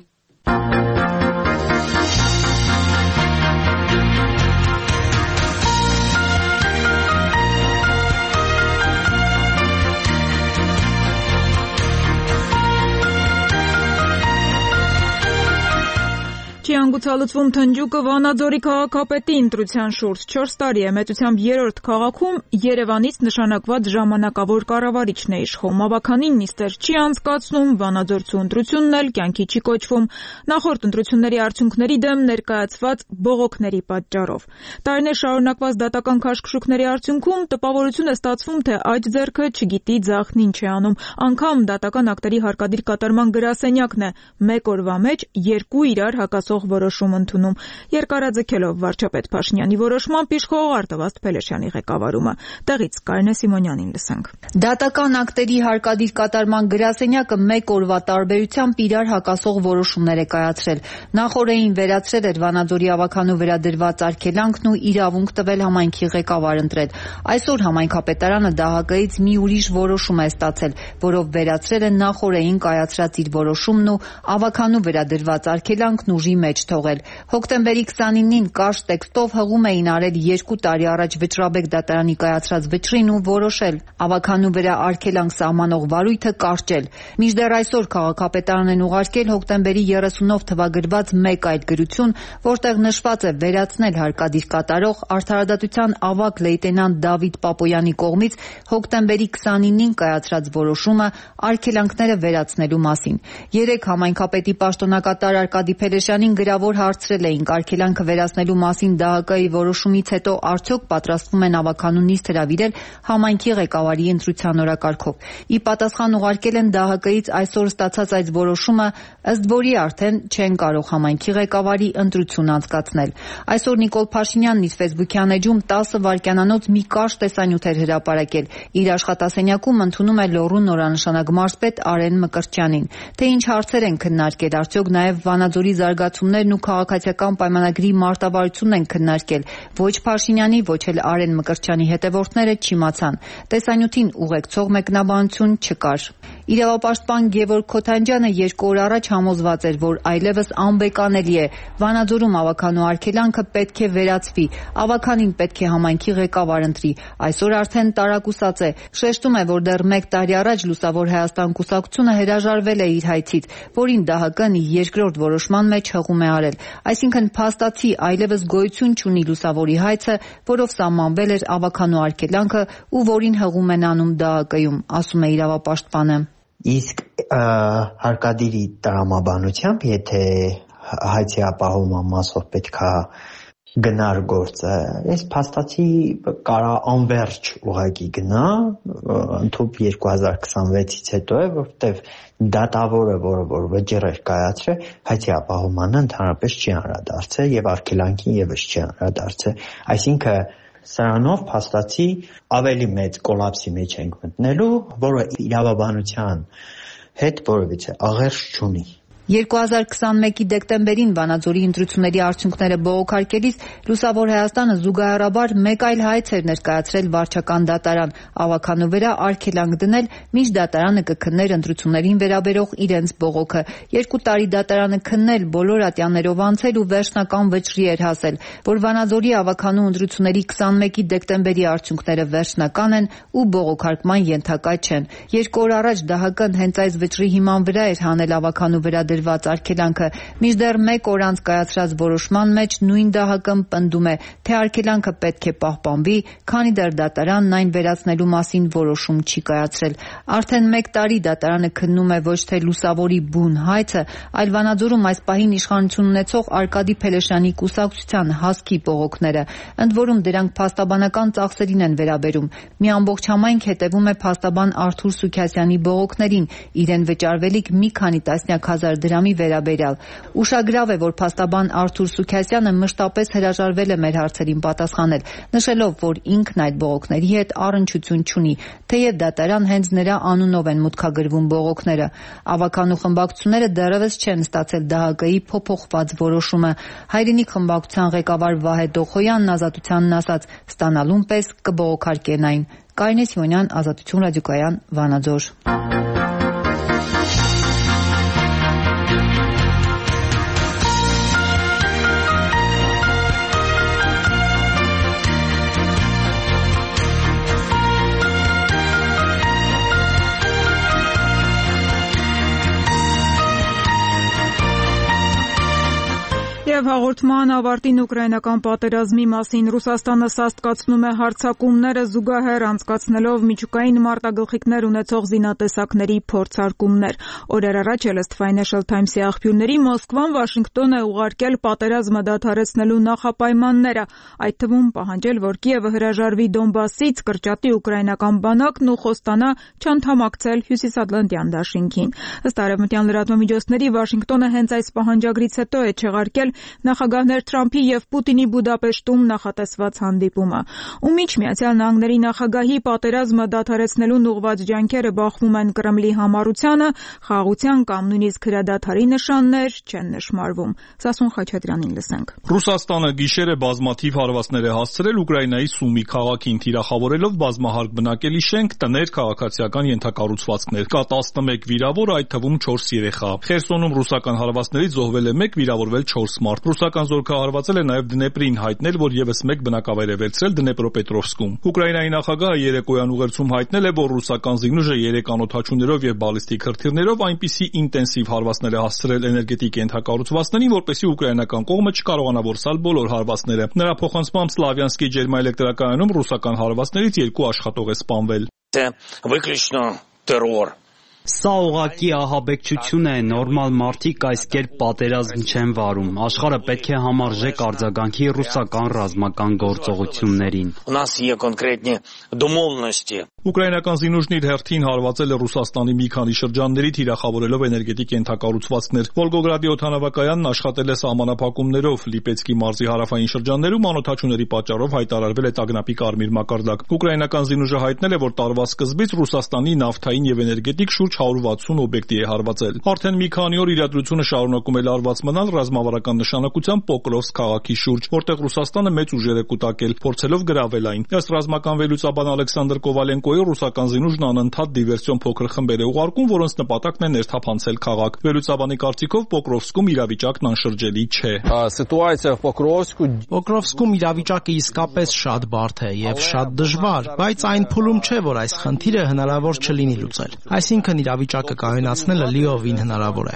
Չի հանգուցալուծվում Թնջուկը Վանաձորի քաղաքապետի ընտրության շուրջ 4 տարի է մեծությամբ 3-րդ քաղաքում Երևանից նշանակված ժամանակավոր կառավարիչն է իշխում։ Ավականին նիստեր չի անցկացնում, Վանաձորցու ընտրությունն էլ կյանքի չի կոչվում նախորդ ընտրությունների արդյունքների դեմ ներկայացված բողոքների պատճառով։ Տարիներ շարունակված դատական քաշքշուկների արդյունքում տպավորություն է ստացվում, թե այդ ձեռքը չգիտի ձախն ինչ է անում։ Անգամ դատական ակտերի հարկադիր կատարման գրասենյակն է 1 օրվա մեջ 2 իրար հակասող որոշում ընդունում։ Երկարաձգելով վարչապետ Փաշինյանի որոշմամբ իշխող Արտավազդ Փելեշյանի ղեկավարումը։ Տեղից Կարինե Սիմոնյանին լսենք։ Դատական ակտերի հարկադիր կատարման գրասենյակը 1 օրվա տարբերությամբ իրար հակասող որոշումներ է կայացրել։ Նախորդին վերացրել էր Վանաձորի ավականու վերադրված արգելանքն ու իրավունք տվել համայնքի ղեկավար ընտրել։ Այսօր համայնքապետարանը ԴՀԿ-ից մի ուրիշ որոշում է ստացել, որով վերացրել է նախորդին կայացրած իր որոշումն ու ավականու վերադրված արգելանքն ուժի մեջ թողել։ Հոկտեմբերի 29-ին կարճ տեքստով հղում էին արել 2 տարի առաջ Վճռաբեկ դատարանի կայացրած վճռին ու որոշել ավականու վրա արգելանք սահմանող վարույթը կարճել։ Մինչդեռ այսօր քաղաքապետարանն են ուղարկել հոկտեմբերի 30-ով թվագրված մեկ այլ գրություն, որտեղ նշված է վերացնել հարկադիր կատարող Արդարադատության ավագ լեյտենանտ Դավիթ Պապոյանի կողմից հոկտեմբերի 29-ին կայացրած որոշումը արգելանքները վերացնելու մասին։ Երեկ համայնքապետի պաշտոնակատար Արկադի Փելեշյանին գրավոր հարցրել էինք արգելանքը վերացնելու մասին ԴՀԿ-ի որոշումից հետո արդյոք պատրաստվում են ավականու նիստ հրավիրել համայնքի ղեկավարի ընտրության օրակարգով։ Ի պատասխան ուղարկել են ԴՀԿ-ից այսօր ստացած այդ որոշումը, ըստ որի արդեն չեն կարող համայնքի ղեկավարի ընտրություն անցկացնել։ Այսօր Նիկոլ Փաշինյանն իր Facebook-յան էջում 10 վայրկյանանոց մի կարճ տեսանյութ էր հրապարակել։ Իր աշխատասենյակում ընդունում է Լոռու նորանշանակ մարզպետ Արեն Մկրտչյանին։ Թե ինչ հարցեր են քննարկել, արդյոք նաև Վանաձորի զարգացումներն ու քաղաքացիական պայմանագրի մարտավարությունն են քննարկել։ Ոչ Փաշինյանի, ոչ էլ Արեն Մկրտչյանի հետևորդները չիմացան։ Տեսանյութին ուղեկցող մեկնաբանություն չկար։ Իրավապաշտպան Գևորգ Քոթանջյանը 2 օր առաջ համոզված էր, որ այլևս անբեկանելի է Վանաձորում ավականու արգելանքը պետք է վերացվի, ավականին պետք է համայնքի ղեկավար ընտրի։ Այսօր արդեն տարակուսած է, շեշտում է, որ դեռ 1 տարի առաջ Լուսավոր Հայաստան կուսակցությունը հրաժարվել է իր հայցից, որին ԴՀԿ-ն երկրորդ որոշման մեջ հղում է արել։ Այսինքն փաստացի այլևս գոյություն չունի Լուսավորի հայցը, որով սահմանվել էր ավականու արգելանքը ու որին հղում են անում ԴՀԿ-ում, ասում է իրավապաշտպանը։ Իսկ հարկադիրի տրամաբանությամբ, եթե հայցի ապահովման մասով պետքա գնար գործը, այս փաստացի կարա անվերջ ուղղակի գնա, ընդհանուր 2026-ից հետո է, որովհետև դատավորը, որ վճիռ էր կայացրել, հայցի ապահովմանը ընդհանրապես չի անդրադարձել եւ արգելանքին եւս չի անդրադարձել, այսինքն սրանով փաստացի ավելի մեծ կոլապսի մեջ ենք մտնելու, որը իրավաբանության հետ որևիցե աղերս չունի։ 2021-ի դեկտեմբերին Վանաձորի ընտրությունների արդյունքները բողոքարկելիս Լուսավոր Հայաստանը զուգահեռաբար մեկ այլ հայց էր ներկայացրել վարչական դատարան, ավականու վրա արգելանք դնել, մինչ դատարանը կքններ ընտրություններին վերաբերող իրենց բողոքը։ 2 տարի դատարանը քննել, բոլոր ատյաններով անցել ու վերջնական վճռի էր հասել, որ Վանաձորի ավականու ընտրությունների 21-ի դեկտեմբերի արդյունքները վերջնական են ու բողոքարկման ենթակա չեն։ 2 օր առաջ ԴՀԿ-ն հենց այս վճռի հիման վրա էր հանել ավականու վրա դրված արգելանքը, մինչդեռ 1 օր անց կայացրած որոշման մեջ նույն ԴՀԿ-ն պնդում է, թե արգելանքը պետք է պահպանվի, քանի դեռ դատարանն այն վերացնելու մասին որոշում չի կայացրել։ Արդեն 1 տարի դատարանը քննում է ոչ թե Լուսավորի բուն հայցը, այլ Վանաձորում այս պահին իշխանություն ունեցող Արկադի Փելեշյանի կուսակցության հասկի բողոքները, ընդ որում դրանք փաստաբանական ծախսերին են վերաբերում։ Մի ամբողջ համայնք հետևում է փաստաբան Արթուր Սուքասյանի բողոքներին, իրեն վճարվելիք մի քանի տասնյակ հազար դրամի վերաբերյալ։ Ուշագրավ է, որ փաստաբան Արթուր Սուքասյանը մշտապես հրաժարվել է մեր հարցերին պատասխանել, նշելով, որ ինքն այդ բողոքների հետ առնչություն չունի, թեև դատարան հենց նրա անունով են մուտքագրվում բողոքները։ Ավականու խմբակցությունները դեռևս չեն ստացել ԴՀԿ-ի փոփոխված որոշումը։ Հայրենիք խմբակցության ղեկավար Վահե Դոխոյանն Ազատությանն ասաց, ստանալուն պես կբողոքարկեն այն։ Կարինե Սիմոնյան, Ազատություն ռադիոկայան, Վանաձոր։ Եվ հաղորդման ավարտին ուկրաինական պատերազմի մասին Ռուսաստանը սաստկացնում է հարձակումները զուգահեռ անցկացնելով միջուկային մարտագլխիկներ ունեցող զինատեսակների փորձարկումներ։ Օրեր առաջ Elst Financial Times-ի աղբյուրների Մոսկվան Վաշինգտոն է ուղարկել պատերազմը դադարեցնելու նախապայմանները, այդ թվում պահանջել, որ Կիևը հրաժարվի Դոնբասից, կրճատի ուկրաինական բանակն ու խոստանա չանդամակցել Հյուսիսատլանտյան դաշինքին։ Ըստ արևմտյան լրատվամիջոցների Վաշինգտոնը հենց այս պահանջագրից հետո է չեղարկել նախագահներ Թրամփի եւ Պուտինի Բուդապեշտում նախատեսված հանդիպումը, ում միջ Միացյալ Նահանգների նախագահի պատերազմը դադարեցնելուն ուղղված ջանքերը բախվում են Կրեմլի համառությանը, խաղաղության կամ նույնիսկ հրադադարի նշաններ չեն նշմարվում։ Սասուն Խաչատրյանին լսենք։ Ռուսաստանը գիշերը բազմաթիվ հարվածներ է հասցրել Ուկրաինայի Սումի քաղաքին, թիրախավորելով բազմահարկ բնակելի շենք, տներ, քաղաքացիական ենթակառուցվածքներ։ Կա 11 վիրավոր, այդ թվում 4 երեխա։ Խերսոնում ռուսական հարվածներից զոհվել է 1, վիրավորվել 4 մարդ։ Ռուսական զորքը հարվածել է նաև Դնեպրին, հայտնել, որ եւս 1 բնակավայր է վերցրել Դնեպրոպետրովսկում։ Ուկրաինայի նախագահը երեկոյան ուղերձում հայտնել է, որ ռուսական զինուժը 3 անօդաչուներով եւ բալիստիկ հրթիռներով այնպիսի ինտենսիվ հարվածներ է հասցրել էներգետիկ ենթակառուցվածքներին, որպեսզի ուկրաինական կողմը չկարողանա որսալ բոլոր հարվածները։ Նրա փոխանցմամբ Սլավյանսկի ջերմաէլեկտրակայանում ռուսական հարվածներից 2 աշխատող է սպանվել։ Սա ուղղակի ահաբեկչություն է, նորմալ մարդիկ այս կերպ պատերազմ չեն վարում։ Աշխարհը պետք է համարժեք արձագանքի ռուսական ռազմական գործողություններին։ Ուկրաինական զինուժն իր հերթին հարվածել է Ռուսաստանի մի քանի շրջանների, թիրախավորելով էներգետիկ ենթակառուցվածքներ։ Վոլգոգրադի օդանավակայանն աշխատել է սահմանափակումներով, Լիպեցկի մարզի հարավային շրջաններում անօդաչուների պատճառով հայտարարվել է տագնապի կարմիր մակարդակ։ Ուկրաինական զինուժը հայտնել է, որ տարվա սկզբից Ռուսաստանի նավթային եւ էներգետիկ շուրջ 160 օբյեկտի է հարվածել։ Արդեն մի քանի օր իրադրությունը շարունակում է լարված մնալ ռազմավարական նշանակության Պոկրովսկ քաղաքի շուրջ, որտեղ Ռուսաստանը մեծ ուժեր է կուտակել, փորձելով գրավել այն։ Ըստ ռազմական վերլուծաբան Ալեքսանդր Կովալենկոյի, ռուսական զինուժն անընդհատ դիվերսիոն փոքր խմբեր է ուղարկում, որոնց նպատակն է ներթափանցել քաղաք։ Վերլուծաբանի կարծիքով Պոկրովսկում իրավիճակն անշրջելի չէ։ Պոկրովսկում իրավիճակը իսկապես շատ բարդ է եւ շատ դժվար, բայց այն փուլում չէ, որ այս խնդիրը հնարավոր չլինի լուծել։ Այսինքն իրավիճակը կայունացնելը լիովին հնարավոր է։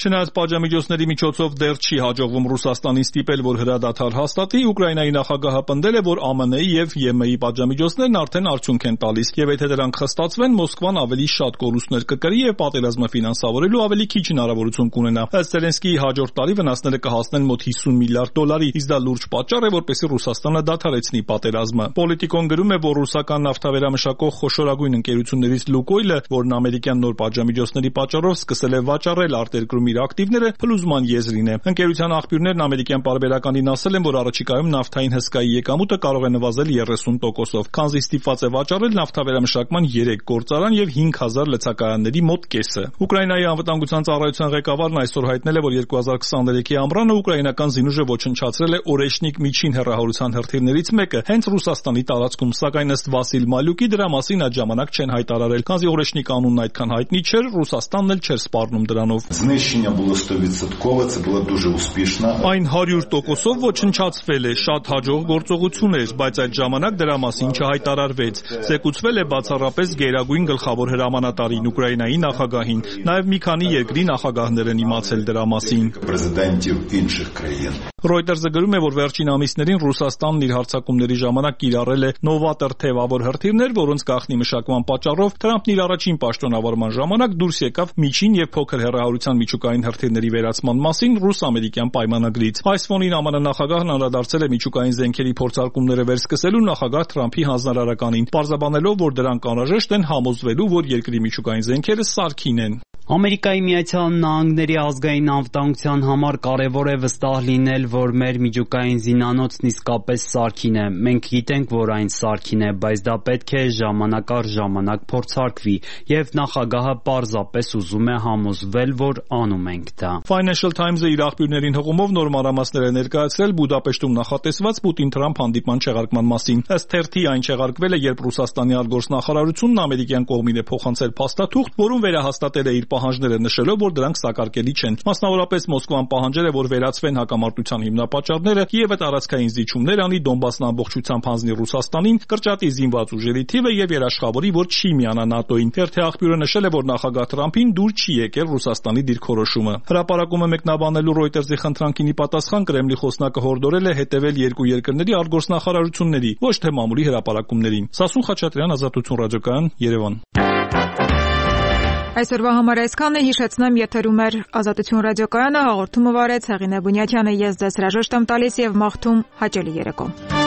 Չնայած պատժամիջոցների միջոցով դեռ չի հաջողվում Ռուսաստանին ստիպել, որ հրադադար հաստատի, Ուկրաինայի նախագահը պնդել է, որ ԱՄՆ-ի եւ ԵՄ-ի պատժամիջոցներն արդեն արդյունք են տալիս, եւ եթե դրանք խստացվեն, Մոսկվան ավելի շատ կորուստներ կկրի եւ պատերազմը ֆինանսավորելու ավելի քիչ հնարավորություն կունենա։ Ըստ Զելենսկիի հաջորդ տարի վնասները կհասնեն մոտ $50 միլիարդ, իսկ դա լուրջ պատճառ է, որպեսզի Ռուսաստանը դադարեցնի պատերազմը։ Պոլիտիկոն գրում է, որ ռուսական նավթավերամշակող խոշորագույն ընկերություններից Լուկոյլը, որն ամերիկյան նոր պատժամիջոցների պատճառով սկսել է վաճառել արտերկրում իր ակտիվները, փլուզման եզրին է։ Ընկերության աղբյուրներն ամերիկյան պարբերականին ասել են, որ առաջիկայում նավթային հսկայի եկամուտը կարող է նվազել 30%-ով, քանզի ստիպված է վաճառել նավթավերամշակման 3 գործարան եւ 5000 լցակայանների մոտ կեսը։ Ուկրաինայի անվտանգության ծառայության ղեկավարն այսօր հայտնել է, որ 2023-ի ամռանը ուկրաինական զինուժը ոչնչացրել է Օրեշնիկ միջին հեռահարության հրթիռներից մեկը հենց Ռուսաստանի տարածքում, սակայն ըստ Վասիլ Մալյուկի դրա մասին այդ ժամանակ չեն հայտարարել, քանզի Օրեշնիկ անունն այդքան հայտնի չէր, Ռուսաստանն էլ չէր սպառնում դրանով։ Այն 100%-ով ոչնչացվել է, շատ հաջող գործողություն էր, բայց այդ ժամանակ դրա մասին չհայտարարվեց։ Զեկուցվել է բացառապես գերագույն գլխավոր հրամանատարին, Ուկրաինայի նախագահին, նաև մի քանի երկրի նախագահներ են իմացել դրա մասին։ Reuters-ը գրում է, որ վերջին ամիսներին Ռուսաստանն իր հարձակումների ժամանակ կիրառել է նովատոր թևավոր հրթիռներ, որոնց գաղտնի մշակման պատճառով Թրամփն իր առաջին պաշտոնավարման ժամանակ դուրս եկավ միջին եւ փոքր հեռահարության միջուկային հրթիռների վերացման մասին ռուս-ամերիկյան պայմանագրից։ Այս ֆոնին ԱՄՆ նախագահն անդրադարձել է միջուկային զենքերի փորձարկումները վերսկսելու նախագահ Թրամփի հանձնարարականին, պարզաբանելով, որ դրանք անհրաժեշտ են համոզվելու, որ երկրի միջուկային զենքերը սարքին են։ Ամերիկայի Միացյալ Նահանգների ազգային անվտանգության համար կարևոր է վստահ լինել, որ մեր միջուկային զինանոցն իսկապես սարքին է։ Մենք գիտենք, որ այն սարքին է, բայց դա պետք է ժամանակ առ ժամանակ փորձարկվի, եւ նախագահը պարզապես ուզում է համոզվել, որ անում ենք դա։ Financial Times-ը իր աղբյուրներին հղումով նոր մանրամասներ է ներկայացրել Բուդապեշտում նախատեսված Պուտին-Թրամփ հանդիպման չեղարկման մասին։ Ըստ թերթի այն չեղարկվել է, երբ Ռուսաստանի արտգործնախարարությունն ամերիկյան կողմին է փոխանցել փաստաթուղթ, որում վերահաստատել է իր պահանջները նշելով, որ դրանք սակարկելի չեն։ Մասնավորապես Մոսկվան պահանջել է, որ վերացվեն հակամարտության հիմնապատճառները, Կիևը տարածքային զիջումներ անի, Դոնբասն ամբողջությամբ հանձնի Ռուսաստանին, կրճատի զինված ուժերի թիվը եւ երաշխավորի, որ չի միանա ՆԱՏՕ-ին։ Թերթի աղբյուրը նշել է, որ նախագահ Թրամփին դուր չի եկել Ռուսաստանի դիրքորոշումը։ Հրապարակումը մեկնաբանելու Reuters-ի խնդրանքին ի պատասխան Կրեմլի խոսնակը հորդորել է հետևել երկու երկրների արտգործնախարարությունների, ոչ թե մամուլի հրապարակումներին։ Սասուն Խաչատրյան, Ազատություն ռադիոկայան, Երևան։ Այսօրվա համար այսքանն է, հիշեցնեմ, եթերում էր Ազատություն ռադիոկայանը, հաղորդումը վարեց Հեղինե Բունյաթյանը, ես ձեզ հրաժեշտ եմ տալիս եւ մաղթում հաճելի երեկո։